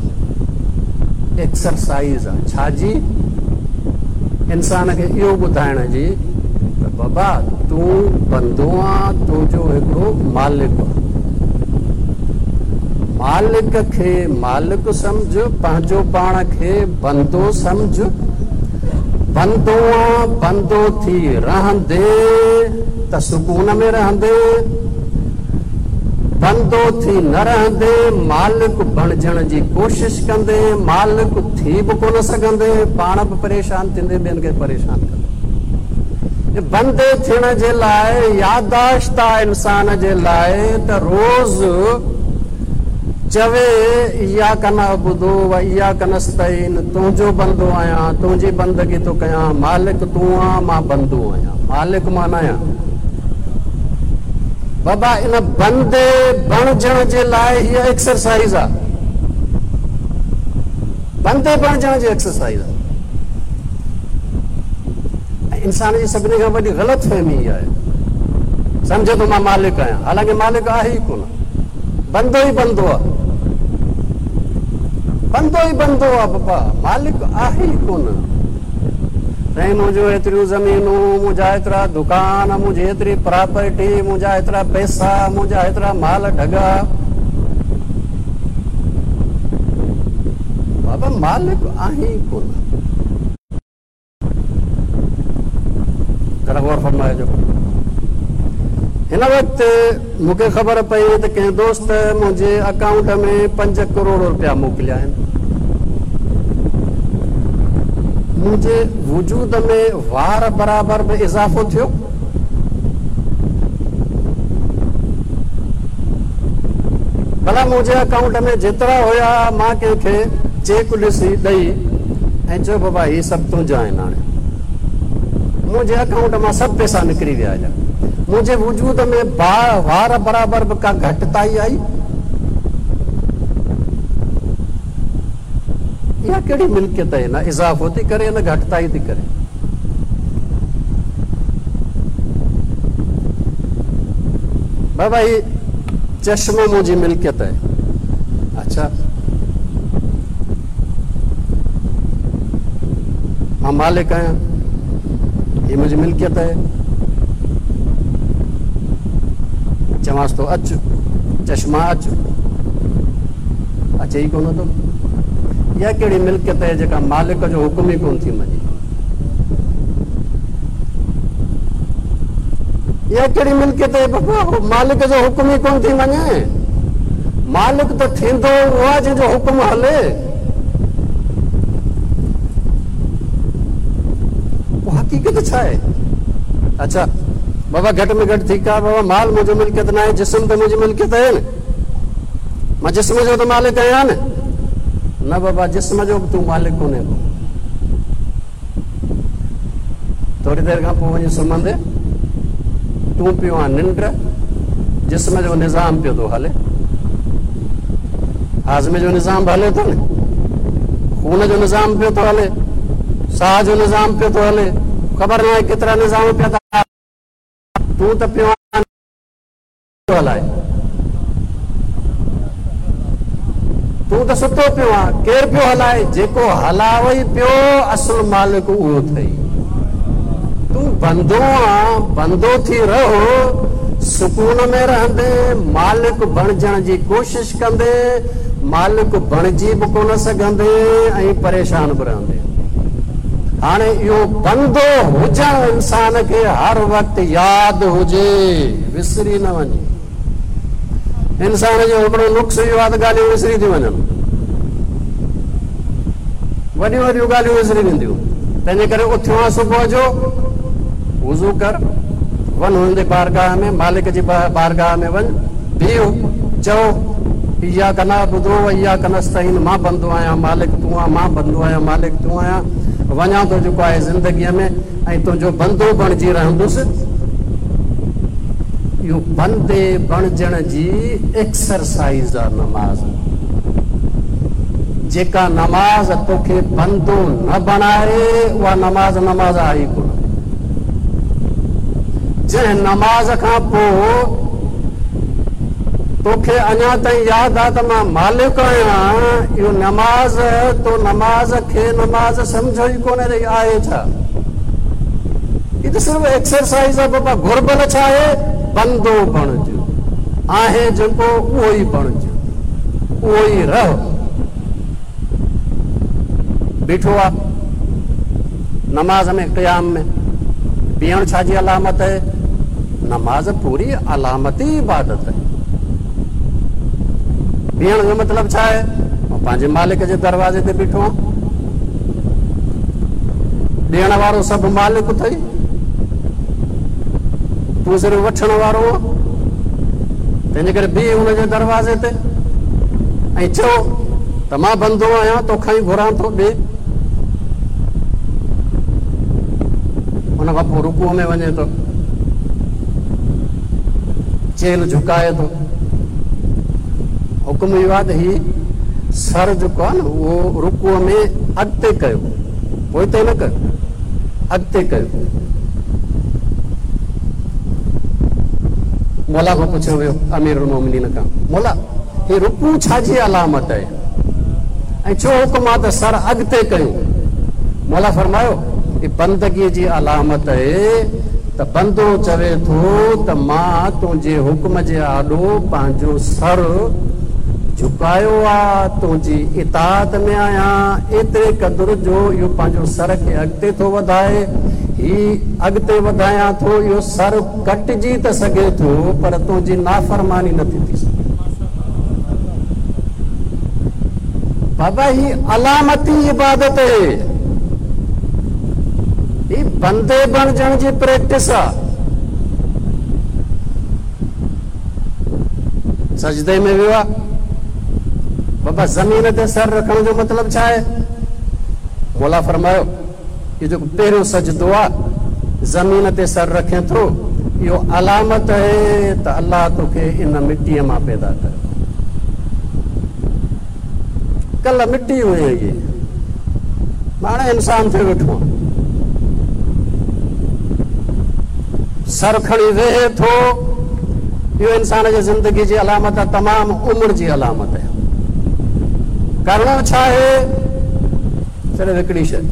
ايڪسرسائيز آ، ڇا جي؟ انسان کي اهو ٻڌائڻ جي ته بابا تون بندو آن، تنهنجو هڪڙو مالڪ آ. مالڪ کي مالڪ سمجهه، پنهنجو پاڻ کي بندو سمجهه. بندو آن، بندو ٿي رهندين ته سڪون ۾ رهندين. بندو ٿي نه رهندين، مالڪ بڻجڻ جي ڪوشش ڪندين، مالڪ ٿي به ڪونه سگهندين، پاڻ به پريشان ٿيندين، ٻين کي پريشان ڪندين. بندي ٿيڻ جي لاء ياداشت آ انسان جي لاء ته روز چوي اياڪ نعبد و اياڪ نستعين تنهنجو بندو آهيان تنهنجي بندگي ٿو ڪيان مالڪ تون آن مان بندو آهيان مالڪ مان ناهيان. بابا ان بندي بڻجڻ جي لاء هيء ايڪسرسائيز آ. بندي بڻجڻ جي ايڪسرسائيز آ. ۽ انسان جي سڀني کان وڏي غلط فهمي اها آهي سمجهي ٿو مان مالڪ آهيان حالانڪه مالڪ آهي ئي ڪونه بندو ئي بندو آهي. بندو ئي بندو آ بابا، مالڪ آهي ئي ڪونه. سائين منهنجون ايتريون زمينون، منهنجا ايترا دڪان، منهنجي ايتري پراپرٽي، منهنجا ايترا پئسا، منهنجا ايترا مال ڍڳا. بابا مالڪ آهين ئي ڪونه. ذرا غور فرمائجو. هن وقت مون کي خبر پئي ته ڪنهن دوست منهنجي اڪائونٽ ۾ 5 ڪروڙ رپيا موڪليا آهن. منهنجي وجود ۾ وار برابر به اضافو ٿيو؟ ڀلا منهنجي اڪائونٽ ۾ جيترا هيا مان ڪنهن کي چيڪ ڏسي ڏئي ۽ چيو بابا هي سڀ تنهنجا آهن هاڻي منهنجي اڪائونٽ مان سڀ پئسا نڪري ويا هليا منهنجي وجود ۾ وار برابر به ڪا گهٽتائي آئي؟ اها ڪهڙي ملڪيت آهي نه اضافو ٿي ڪري نه گهٽتائي ٿي ڪري. بابا هي چشمو منهنجي ملڪيت آهي. اڇا مان مالڪ آهيان هي منهنجي ملڪيت آهي. چوانس ٿو اچ چشما اچ. اچي ئي ڪونه ٿو. اها ڪهڙي ملڪيت آهي جيڪا مالڪ جو حڪم ئي ڪونه ٿي مڃي. اها ڪهڙي ملڪيت آهي بابا مالڪ جو حڪم ئي ڪونه ٿي مڃي. مالڪ ته ٿيندو اهو آهي جنهن جو حڪم هلي. پوء حقيقت ڇا آهي؟ اڇا بابا گهٽ ۾ گهٽ ٺيڪ آهي بابا مال منهنجو ملڪيت ناهي جسم ته منهنجي ملڪيت آهي نه. مان جسم جو ته مالڪ آهيان نه. نه بابا جسم جو به تون مالڪ ڪونهين ڪو. ٿوري دير کان پوء وڃي سمهندي تون پيو آن ننڊ، جسم جو نظام پيو ٿو هلي، هاضمي جو نظام به هلي ٿو نه، خون جو نظام پيو ٿو هلي، ساهه جو نظام پيو ٿو هلي، خبر ناهي ڪيترا نظام پيا ٿا تون ته پيو آن پيو هلائي. تون ته ستو پيو آن، ڪير پيو هلائي؟ جيڪو هلاوئي پيو، اصل مالڪ اهو اٿئي. تون بندو آن، بندو ٿي رهه، سڪون ۾ رهندين، مالڪ بڻجڻ جي ڪوشش ڪندين، مالڪ بڻجي به ڪونه سگهندين ۽ پريشان به رهندين. هاڻي اهو بندو هجڻ انسان کي هر وقت ياد هجي، وسري نه وڃي. انسان جو هڪڙو نقص اهو آهي ته ڳالهيون وسري ٿيون وڃن. وڏيون وڏيون ڳالهيون وسري وينديون. تنهنجي ڪري اٿيو آهين صبح جو، وضو ڪر، وڃ هن جي بارگاهه ۾، مالڪ جي بارگاهه ۾ وڃ، بيهه، چئو، اياڪ نعبد و اياڪ نستعين مان بندو آهيان مالڪ تون آن، مان بندو آهيان مالڪ تون آهيان، وڃان ٿو جيڪو آهي زندگيء ۾ ۽ تنهنجو بندو بڻجي رهندس. اهو بندي بڻجڻ جي ايڪسرسائيز آ نماز. جيڪا نماز توکي بندو نه بڻائي اها نماز نماز آهي ئي ڪونه. جنهن نماز کان پوء توکي اڃا تائين ياد آ ته مان مالڪ آهيان، اهو نماز تو نماز کي نماز سمجهيو ئي ڪونهي ته هي آهي ڇا؟ هي ته صرف ايڪسرسائيز آ بابا، گهربل ڇا آهي؟ بندو بڻج، آهين جيڪو اهو ئي بڻج، اهو ئي رهه. بيٺو آ نماز ۾ قيام ۾ بيهڻ ڇا جي علامت آهي؟ نماز پوري علامتي عبادت آهي. بيهڻ جو مطلب ڇا آهي؟ مان پنهنجي مالڪ جي دروازي تي بيٺو آهيان. ڏيڻ وارو سڀ مالڪ اٿئي، تون صرف وٺڻ وارو آهين. تنهنجي ڪري بيهه ان جي دروازي تي ۽ چئو ته مان بندو آهيان، توکان ئي گهران ٿو، ڏي. ان کان پوء رڪوع ۾ وڃي ٿو، چيلهه جهڪائي ٿو. حڪم اهو آهي ته هي سر جيڪو آهي نه اهو رڪوع ۾ اڳتي ڪيو، پوئتي نه ڪيو، اڳتي ڪيو. مولا کان پڇيو ويو، امير المومنين کان، مولا هي رڪوع ڇا جي علامت آهي؟ ۽ ڇو حڪم آ ته سر اڳتي ڪيون؟ مولا فرمايو، هي بندگي جي علامت اهي ته بندو چوي ٿو ته مان تنهنجي حڪم جي آڏو پنهنجو سر جهڪايو آ، تنهنجي اطاعت ۾ آهيان، ايتري قدر جو اهو پنهنجو سر کي اڳتي ٿو وڌائي، هي اڳتي وڌايان ٿو، اهو سر ڪٽجي ته سگهي ٿو پر تنهنجي نافرماني نه ٿي ٿي سگهي. بابا هي علامتي عبادت اهي. هي بندي بڻجڻ جي پريڪٽس آ. سجدي ۾ ويو آ. بابا زمين تي سر رکڻ جو مطلب ڇا آهي؟ مولا فرمايو اهو جيڪو پهريون سجدو آ زمين تي سر رکين ٿو اهو علامت اهي ته الله توکي ان مٽيء مان پيدا ڪيو. ڪلهه مٽي هئين اڳي هاڻي انسان ٿيو ويٺو آن. سر کڻي ويهي ٿو اهو انسان جي زندگي جي علامت آ تمام عمر جي علامت آهي. ڪرڻو ڇا آهي؟ صرف هڪڙي شيء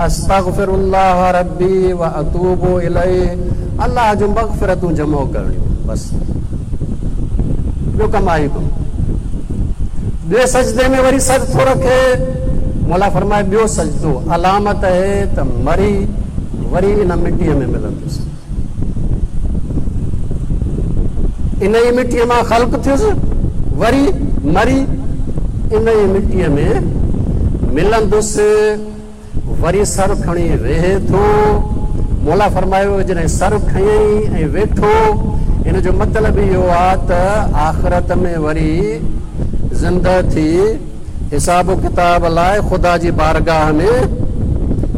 استغفر الله ربي واتوب اليه الله جون مغفرتون جمع ڪرڻيون بس ٻيو ڪم آهي ڪونه. ٻئي سجدي ۾ وري سر ٿو رکي مولا فرمائي ٻيو سجدو علامت اهي ته مري وري ان مٽيء ۾ ملندس. انهيء مٽيء مان خلق ٿيس، وري مري انهيء مٽيء ۾ ملندس، وري سر کڻي ويهي ٿو. مولا فرمايو، جڏهن سر کنيائين ۽ ويٺو، ان جو مطلب اهو آ ته آخرت ۾ وري زنده ٿي حساب و ڪتاب لاء خدا جي بارگاهه ۾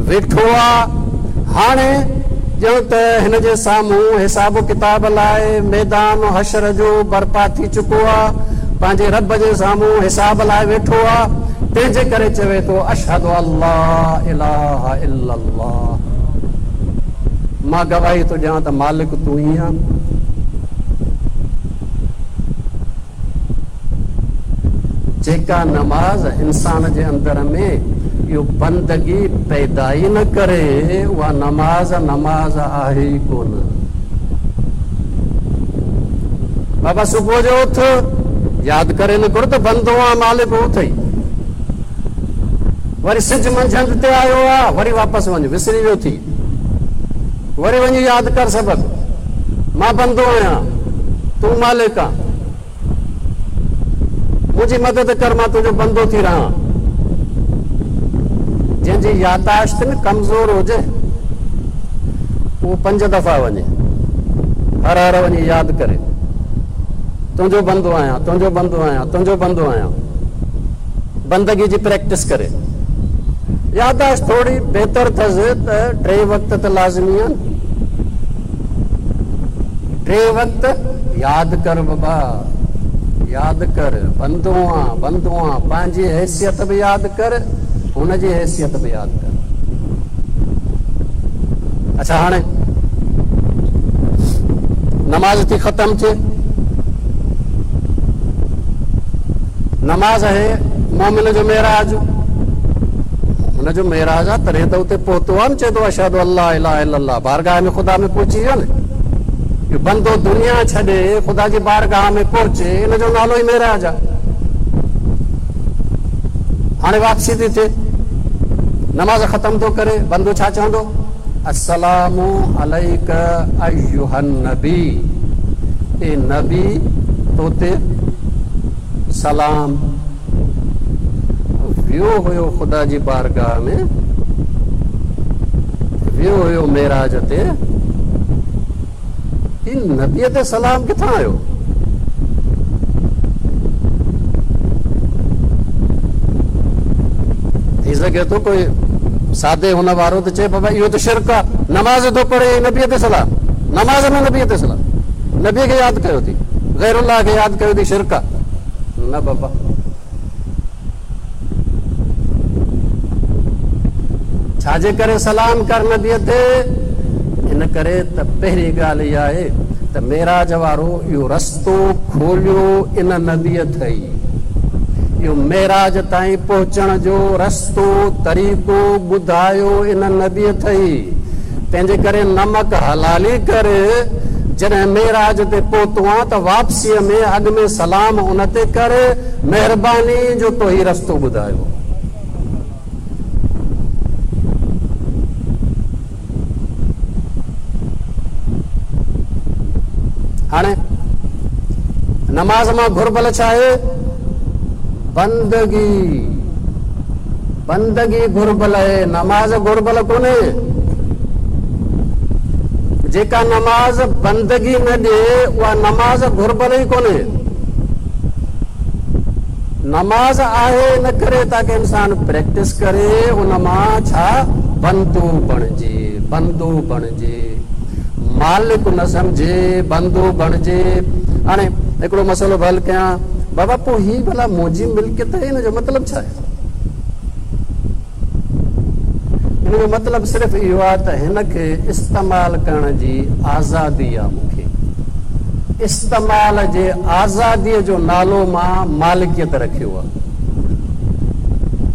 ويٺو آ. هاڻي ڄڻ ته هن جي سامهون حساب و ڪتاب لاء ميدان حشر جو برپا ٿي چڪو آ. پنهنجي رب جي سامهون حساب لاء ويٺو آ. تنهن جي ڪري چوي ٿو اشهد ان لا اله الا الله مان گواهي ٿو ڏيان ته مالڪ تون ئي آن. جيڪا نماز انسان جي اندر ۾ اهو بندگي پيدا ئي نه ڪري اها نماز نماز آهي ئي ڪونه. بابا صبح جو اٿ ياد ڪري نڪر ته بندو آن مالڪ اٿئي. وري سج منجهند تي آيو آ وري واپس وڃ وسري ويو ٿي. وري وڃي ياد ڪر سبق مان بندو آهيان تون مالڪ آن منهنجي مدد ڪر مان تنهنجو بندو ٿي رهان. جنهن جي يادداشت نه ڪمزور هجي اهو پنج دفعا وڃي هر هر وڃي ياد ڪري تنهنجو بندو آهيان تنهنجو بندو آهيان تنهنجو بندو آهيان. بندگي جي پريڪٽس ڪري. يادداشت ٿوري بهتر اٿس ته ٽي وقت ته لازمي آهن. ٽي وقت ياد ڪر بابا ياد ڪر بندو آن بندو آن پنهنجي حيثيت به ياد ڪر هن جي حيثيت به ياد ڪر. اڇا هاڻي نماز ٿي ختم ٿئي. نماز آهي مؤمن جو معراج، مؤمن جو معراج آهي تڏهن ته اتي پهتو آهي نه چئي ٿو اشهد ان لا اله الا الله بارگاهه ۾ خدا ۾ پهچي ويو نه. اهو بندو دنيا ڇڏي خدا جي بارگاهه ۾ پهچي ان جو نالو ئي معراج آهي. هاڻي واپسي ٿي ٿئي نماز ختم ٿو ڪري بندو ڇا چوندو؟ السلام عليک ايها النبي اي نبي تو تي سلام. ويو هيو خدا جي بارگاهه ۾ ويو هيو معراج تي هي نبيء تي سلام ڪٿان آيو؟ ٿي سگهي ٿو ڪوئي سادي هن وارو ته چئي بابا اهو ته شرڪ آ، نماز ٿو پڙهي ۽ نبيء تي سلام، نماز ۾ نبيء تي سلام، نبيء کي ياد ڪيو ٿي، غير الله کي ياد ڪيو ٿي شرڪ آ. نه بابا. ڇا جي ڪري سلام ڪر نبيء تي؟ ان ڪري ته پهرين ڳالهه اها آهي ته معراج وارو اهو رستو کوليو ان نبيء ٿئي. اهو معراج تائين پهچڻ جو رستو، طريقو، ٻڌايو ان نبيء اٿئي. تنهنجي ڪري نمڪ حلالي ڪر، جڏهن معراج تي پهتو آن ته واپسيء ۾ اڳ ۾ سلام ان تي ڪر، مهرباني جو تو هي رستو ٻڌايو. هاڻي نماز مان گهربل ڇا آهي؟ بندگي. بندگي گهربل آهي، نماز گهربل ڪونهي. جيڪا نماز بندگي نه ڏئي اها نماز گهربل ئي ڪونهي. نماز آهي ان ڪري تاڪه انسان پريڪٽس ڪري ان مان ڇا بندو بڻجي بندو بڻجي مالڪ نه سمجهي بندو بڻجي هاڻي هڪڙو مسئلو به حل ڪيان بابا پوء هي ڀلا منهنجي ملڪيت آهي ان جو مطلب ڇا آهي ان جو مطلب صرف اهو آهي ته هن کي استعمال ڪرڻ جي آزادي آهي مون کي. استعمال جي آزاديء جو نالو مان مالڪيت رکيو آهي.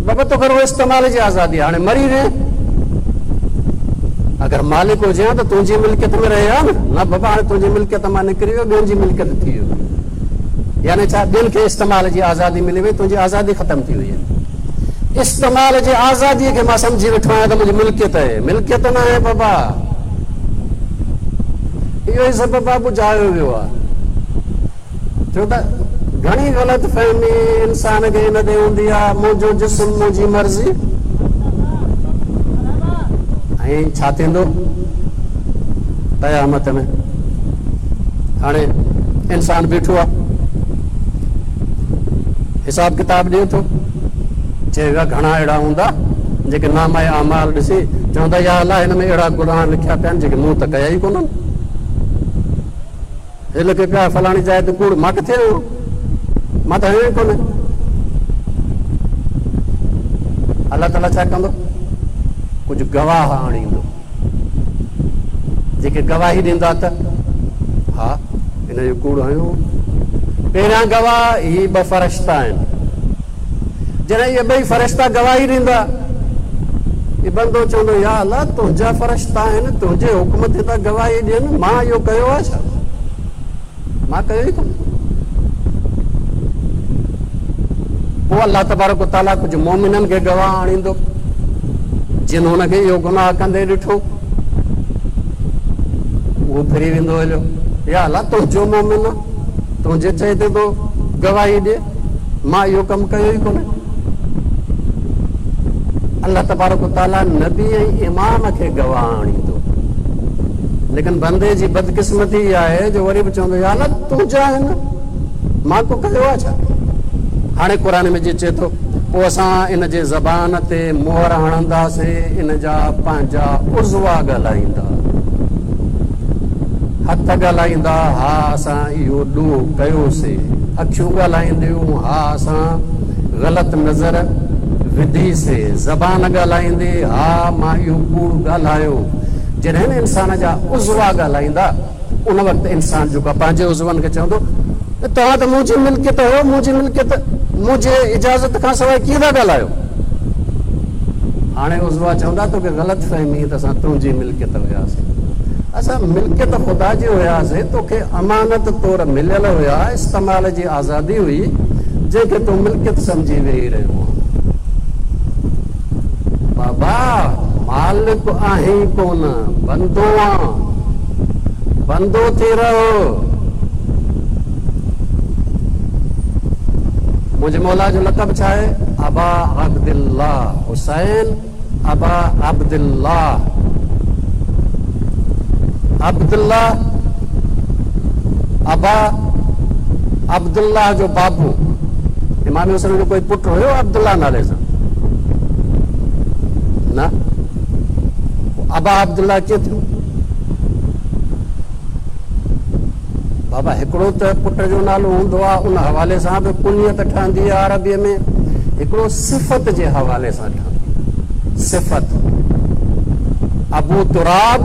بابا توکي رڳو استعمال جي آزادي آهي، هاڻي مري وئين، اگر مالڪ هجين ها ته تنهنجي ملڪيت ۾ رهي ها نه، نه بابا هاڻي تنهنجي ملڪيت مان نڪري ويو ٻين جي ملڪيت ٿي ويو. يعني ڇا ٻين کي استعمال جي آزادي ملي وئي، تنهنجي آزادي ختم ٿي وئي آهي. استعمال جي آزاديء کي مان سمجهي ويٺو آهيان ته منهنجي ملڪيت آهي. ملڪيت ناهي بابا. اهو ئي سبب آهي ٻجهايو ويو آهي. ڇو ته گهڻي غلط فهمي انسان کي ان تي هوندي آهي منهنجو جسم منهنجي مرضي. ۽ ڇا ٿيندو قيامت ۾؟ هاڻي انسان بيٺو آهي حساب ڪتاب ڏئي ٿو. چيو ويو آهي گهڻا اهڙا هوندا جيڪي نامه اعمال ڏسي چوندا يا الله هن ۾ اهڙا گناهه لکيا پيا آهن جيڪي مون ته ڪيا ئي ڪونهن. هي لکي پيا آهي فلاڻي جاء تي ڪوڙ مان ڪٿي هنيو مان ته هنيو ئي ڪونهي. الله تعاليٰ ڇا ڪندو؟ ڪجهه گواهه آڻيندو. جيڪي گواهي ڏيندا ته ها هن جو ڪوڙ هنيو هو. پهريان گواهه هي ٻه فرشتا آهن. جڏهن اهي ٻئي فرشتا گواهي ڏيندا، هي بندو چوندو يا الله تنهنجا فرشتا آهن، تنهنجي حڪم تي ٿا گواهي ڏين، مان اهو ڪيو آهي ڇا؟ مان ڪيو ئي ڪونه. پوء الله تبارڪ و تعاليٰ ڪجهه مؤمنن کي گواهه آڻيندو، جن هن کي اهو گناهه ڪندي ڏٺو، اهو ڦري ويندو هليو، يا الله تنهنجو مؤمن آ، تنهنجي چئي تي ٿو گواهي ڏئي، مان اهو ڪم ڪيو ئي ڪونه. الله تبارڪ و تعاليٰ نبي ۽ امام کي گواهه آڻيندو. ليڪن بندي جي بدقسمتي اها آهي جو وري به چوندو يا الله تنهنجا آهن مان ڪو ڪيو آهي ڇا؟ هاڻي قرآن مجيد چئي ٿو پوء اسان ان جي زبان تي مهر هڻنداسين ان جا پنهنجا عضوا ڳالهائيندا هٿ ڳالهائيندا ها اسان اهو ڏوهه ڪيوسي اکيون ڳالهائينديون ها اسان غلط نظر وڌي سي زبان ڳالهائيندي ها مان اهو ڪوڙ ڳالهايو جڏهن انسان جا عضوا ڳالهائيندا ان وقت انسان جيڪو آهي پنهنجي عضون کي چوندو ته توهان ته منهنجي ملڪيت هيو منهنجي ملڪيت منهنجي اجازت کان سواء ڪيئن ٿا ڳالهايو هاڻي عضوا چوندا توکي غلط فهمي ته اسان تنهنجي ملڪيت هياسين اسان ملڪيت خدا جي هياسين توکي امانت طور مليل هيا استعمال جي آزادي هئي جنهن کي تون ملڪيت سمجهي ويهي رهيو آهين. بابا مالڪ آهين ڪونه، بندو آن، بندو ٿي رهه. منهنجي مولا جو لقب ڇا آهي؟ ابا عبدالله، حسين ابا عبدالله، عبدالله ابا عبدالله جو بابو. امام حسين جو ڪوئي پٽ هيو عبدالله نالي سان؟ نه. پوء ابا عبدالله ڪيئن ٿيو؟ بابا هڪڙو ته پٽ جو نالو هوندو آهي ان حوالي سان به ڪنيت ٺهندي آهي عربيء ۾ هڪڙو صفت جي حوالي سان ٺهندي آهي صفت ابو تراب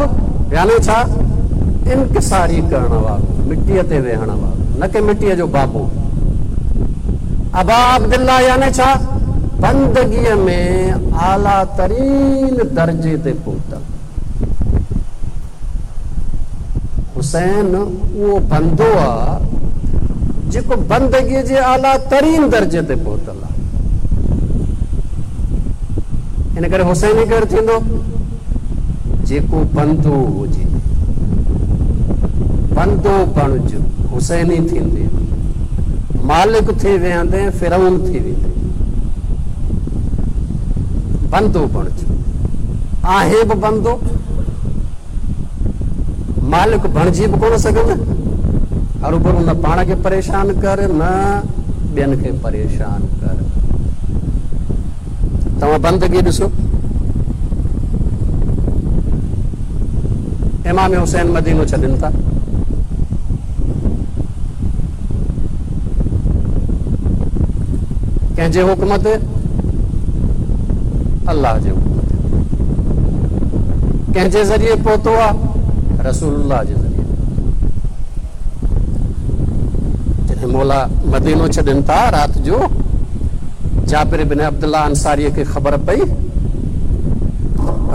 يعني ڇا انڪساري ڪرڻ وارو مٽيء تي ويهڻ وارو نه ڪي مٽيء جو بابو. ابا عبدالله يعني ڇا؟ بندگيء ۾ اعليٰ ترين درجي تي پهتل. حسين اهو بندو آ جيڪو بندگيء جي اعليٰ ترين درجي تي پهتل آ. ان ڪري حسيني ڪير ٿيندو؟ جيڪو بندو هجي. بندو بڻج، حسيني ٿيندين. مالڪ ٿي ويهندين، فرعون ٿي ويندين. بندو بڻج. آهين به بندو، مالڪ بڻجي به ڪونه سگهندين. هروڀرو نه پاڻ کي پريشان ڪر، نه ٻين کي پريشان ڪر. توهان بندگي ڏسو. امام حسين مدينو ڇڏين ٿا. ڪنهن جي حڪم تي؟ الله جي حڪم تي. ڪنهن جي ذريعي پهتو آ؟ رسول الله جي ذريعي. جڏهن مولا مدينو ڇڏين ٿا رات جو جابر بن عبدالله انصاريء کي خبر پئي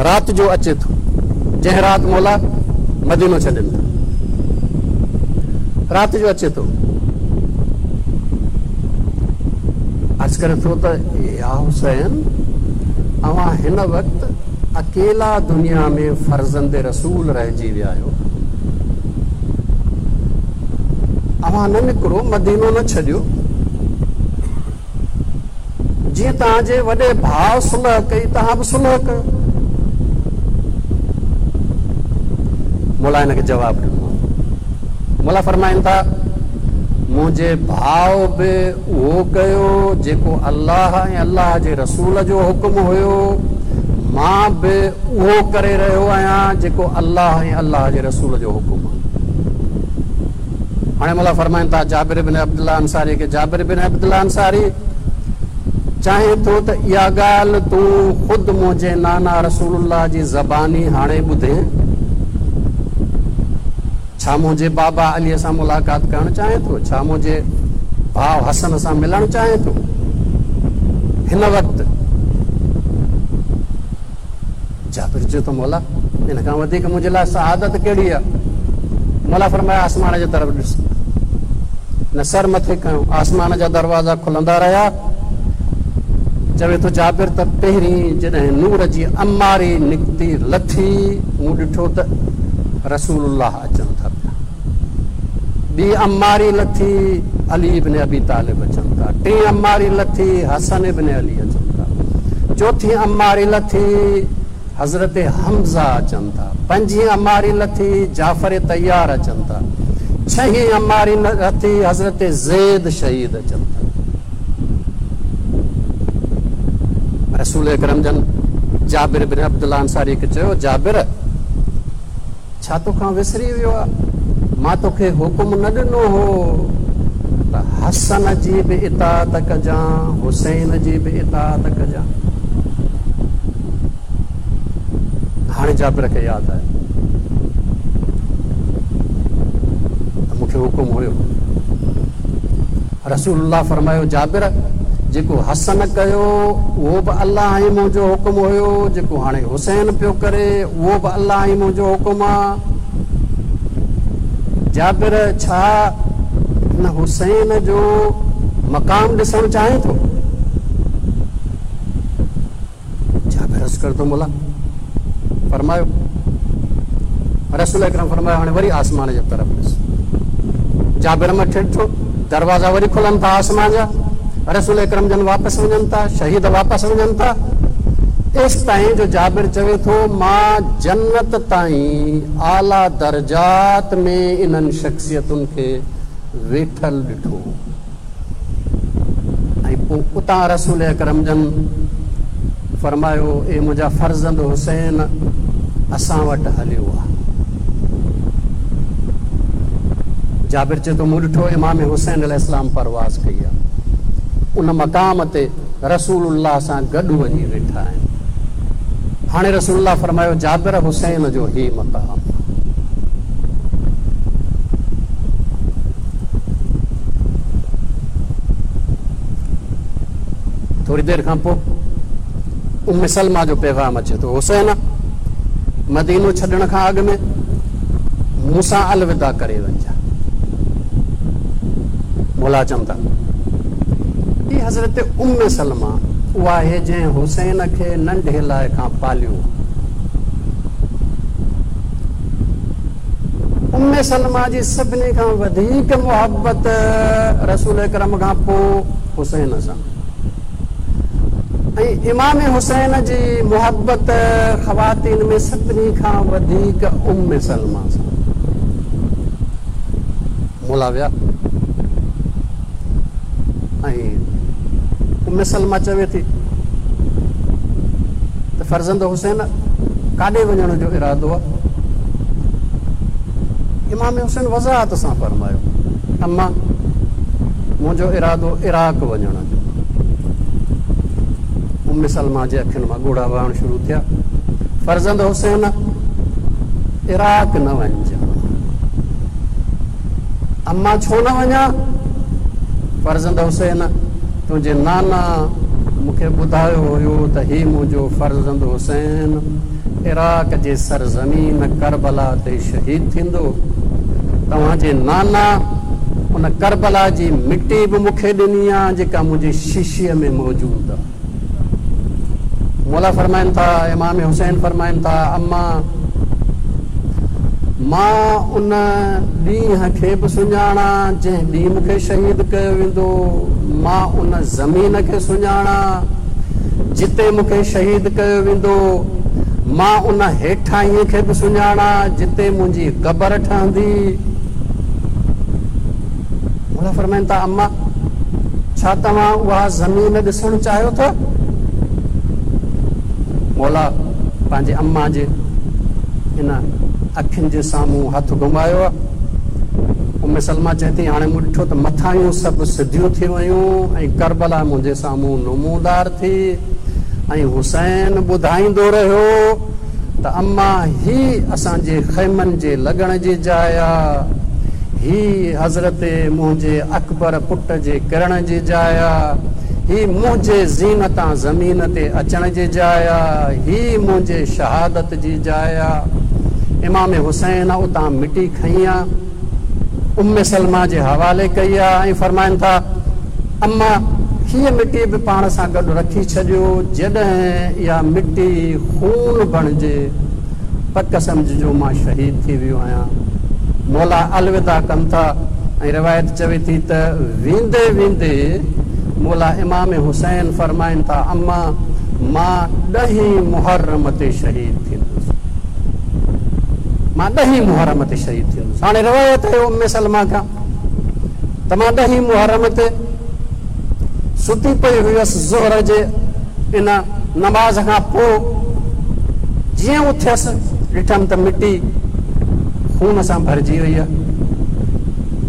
رات جو اچي ٿو جنهن رات مولا مدينو ڇڏين ٿا رات جو اچي ٿو عرض ڪري ٿو ته يا حسين اوهان هن وقت اڪيلا دنيا ۾ فرزند رسول رهجي ويا آهيو اوهان نه نڪرو، مدينو نه ڇڏيو. جيئن توهان جي وڏي ڀاء صلح ڪئي، توهان به صلح ڪيو. مولا هن کي جواب ڏنو. مولا فرمائن ٿا، منهنجي ڀاء به اهو ڪيو جيڪو الله ۽ الله جي رسول جو حڪم هيو، مان به اهو ڪري رهيو آهيان جيڪو الله ۽ الله جي رسول جو حڪم آهي. هاڻي مولا فرمائن ٿا جابر بن عبدالله انصاري کي، جابر بن عبدالله انصاري! چاهين ٿو ته اها ڳالهه تون خود منهنجي نانا رسول الله جي زباني هاڻي ٻڌين؟ ڇا منهنجي بابا عليء سان ملاقات ڪرڻ چاهين ٿو؟ ڇا منهنجي ڀاء حسن سان ملڻ چاهين ٿو؟ هن وقت جابر چيو ته مولا ان کان وڌيڪ منهنجي لاء سعادت ڪهڙي آهي؟ مولا فرمايو آسمان جي طرف ڏس. هن سر مٿي کنيو، آسمان جا دروازا کلندا رهيا. چوي ٿو جابر ته پهرين جڏهن نور جي اماري نڪتي لٿي مون ڏٺو ته رسول الله اچن ٿا پيا. ٻي اماري لٿي علي ابن ابي طالب اچن ٿا. ٽين اماري لٿي حسن ابن علي اچن ٿا. چوٿين اماري لٿي حضرت حمزه اچن ٿا. پنجين اماري لٿي جعفر طيار اچن ٿا. ڇهين اماري لٿي حضرت زيد شهيد اچن ٿا. رسول اڪرم جن جابر بن عبدالله انصاري کي چيو، جابر! ڇا توکان وسري ويو آ؟ مان توکي حڪم نه ڏنو هو ته حسن جي به اطاعت ڪجان، حسين جي به اطاعت ڪجان. هاڻي جابر کي ياد آيو ته مون کي حڪم هيو. رسول الله فرمايو، جابر! جيڪو حسن ڪيو اهو به الله ۽ منهنجو حڪم هيو، جيڪو هاڻي حسين پيو ڪري اهو به الله ۽ منهنجو حڪم آ. جابر! ڇا هن حسين جو مقام ڏسڻ چاهين ٿو؟ جابر عرض ڪري ٿو مولا فرمايو. رسول اڪرم فرمايو هاڻي وري آسمان جي طرف ڏس. جابر مٿي ڏٺو دروازا وري کلن ٿا آسمان جا. رسول اڪرم جن واپس وڃن ٿا، شهيد واپس وڃن ٿا. ايستائين جو جابر چوي ٿو مان جنت تائين اعليٰ درجات ۾ انهن شخصيتن کي ويٺل ڏٺو. ۽ پوء اتان رسول اڪرم جن فرمايو، اي منهنجا فرزند حسين! اسان وٽ هليو آ. جابر چئي ٿو، مون ڏٺو امام حسين عليه السلام پرواز ڪئي آ. ان مقام تي رسول الله سان گڏ وڃي ويٺا آهن. هاڻي رسول الله فرمايو، جابر حسين جو هي مقام آ. ٿوري دير کان پوء ام سلمه جو پيغام اچي ٿو، حسين! مدينو ڇڏڻ کان اڳ ۾ مون سان الوداع ڪري وڃجان. مولا چون ٿا، هي حضرت ام سلمه اها آهي جنهن حسين کي ننڍي لاء کان پاليو. ام سلمه جي سڀني کان وڌيڪ محبت رسول اڪرم کان پوء حسين سان ۽ امام حسين جي محبت خواتين ۾ سڀني کان وڌيڪ ام سلمه سان. مولا ويا ۽ ام سلمه چوي ٿي ته فرزند حسين ڪاڏي وڃڻ جو ارادو آ؟ امام حسين وضاحت سان فرمايو، اما منهنجو ارادو عراق وڃڻ جو. ام سلمه جي اکين مان ڳوڙها وهڻ شروع ٿيا، فرزند حسين عراق نه وڃجان. اما ڇو نه وڃان؟ فرزند حسين تنهنجي نانا مون کي ٻڌايو هيو ته هي منهنجو فرزند حسين عراق جي سرزمين ڪربلا تي شهيد ٿيندو. توهان جي نانا ان ڪربلا جي مٽي به مون کي ڏني آ جيڪا منهنجي شيشي ۾ موجود آ. مولا فرمائن ٿا، امام حسين فرمائن ٿا، اما! مان ان ڏينهن کي به سڃاڻان جنهن ڏينهن مون کي شهيد ڪيو ويندو، مان ان زمين کي سڃاڻان جتي مون کي شهيد ڪيو ويندو، مان ان هيٺاهينء کي به سڃاڻان جتي منهنجي قبر ٺهندي. مولا فرمائن ٿا، اما! ڇا توهان اها زمين ڏسڻ چاهيو ٿا؟ مولا پنهنجي اما جي ان اکين جي سامهون هٿ گهمايو. ام سلمه چئي ٿي، هاڻي مون ڏٺو ته مٿاهيون سڀ سڌيون ٿي ويون ۽ ڪربلا منهنجي سامهون نمودار ٿي ۽ حسين ٻڌائيندو رهيو ته اما هي اسان جي خيمن جي لڳڻ جي جاء آ، هي حضرت منهنجي اڪبر پٽ جي ڪرڻ جي جاء آ، هي منهنجي زين تان زمين تي اچڻ جي جاء آ، هي منهنجي شهادت جي جاء آ. امام حسين اتان مٽي کنئي آ، ام سلمه جي حوالي ڪئي آ ۽ فرمائن ٿا، اما هيء مٽي به پاڻ سان گڏ رکي ڇڏيو، جڏهن اها مٽي خون بڻجي، پڪ سمجهجو مان شهيد ٿي ويو آهيان. مولا الوداع ڪن ٿا ۽ روايت چوي ٿي ته ويندي ويندي مولا امام حسين فرمائن ٿا، اما مان ڏهين محرم تي شهيد ٿيندس. مان ڏهين محرم تي شهيد ٿيندس. هاڻي روايت آهي ام سلمه کان ته مان ڏهين محرم تي ستي پئي هيس ظهر جي ان نماز کان پوء جيئن اٿيس ڏٺم ته مٽي خون سان ڀرجي وئي آهي.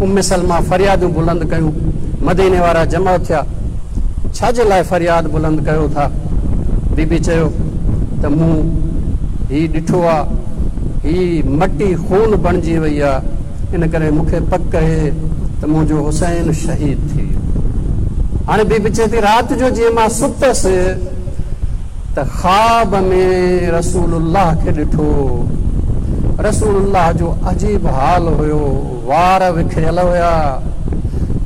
ام سلمه فريادون بلند ڪيون، مديني وارا جمع ٿيا، ڇا جي لاء فرياد بلند ڪيو ٿا؟ بي بي چيو ته مون هي ڏٺو آ، هي مٽي خون بڻجي وئي آ، ان ڪري مون کي پڪ اهي ته منهنجو حسين شهيد ٿي ويو. هاڻي بي بي چئي ٿي رات جو جيئن مان ستس ته خواب ۾ رسول الله کي ڏٺو. رسول الله جو عجيب حال هيو، وار وکريل هيا،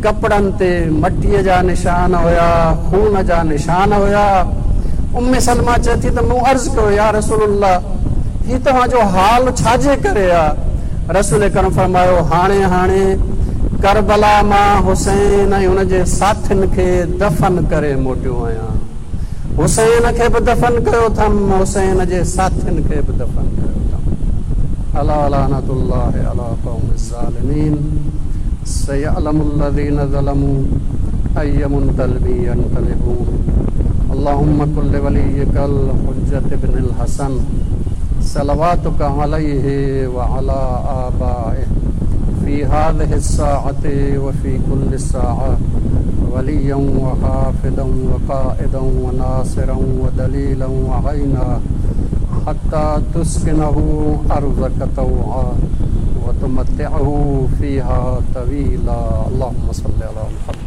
ڪپڙن تي مٽيء جا نشان هيا، خون جا نشان هيا. ام سلمه چئي ٿي ته مون عرض ڪيو يا رسول الله! هي توهان جو حال ڇا جي ڪري آ؟ رسول اڪرم فرمايو، هاڻي هاڻي ڪربلا مان حسين ۽ ان جي ساٿين کي دفن ڪري موٽيو آهيان. حسين کي به دفن ڪيو اٿم، حسين جي ساٿين کي به دفن ڪيو اٿم. الا لعنة الله علي القوم الظالمين سيعلم الذين ظلموا اي منقلب ينقلبون اللهم کن لوليک الحجة ابن الحسن صلواتک عليه وعلي آبائه في هذه الساعة وفي كل ساعة وليا وحافظا وقائدا وناصرا ودليلا وعينا حتى تسكنه أرضك طوعا وتمتعه فيها طويلا اللهم صل على محمد.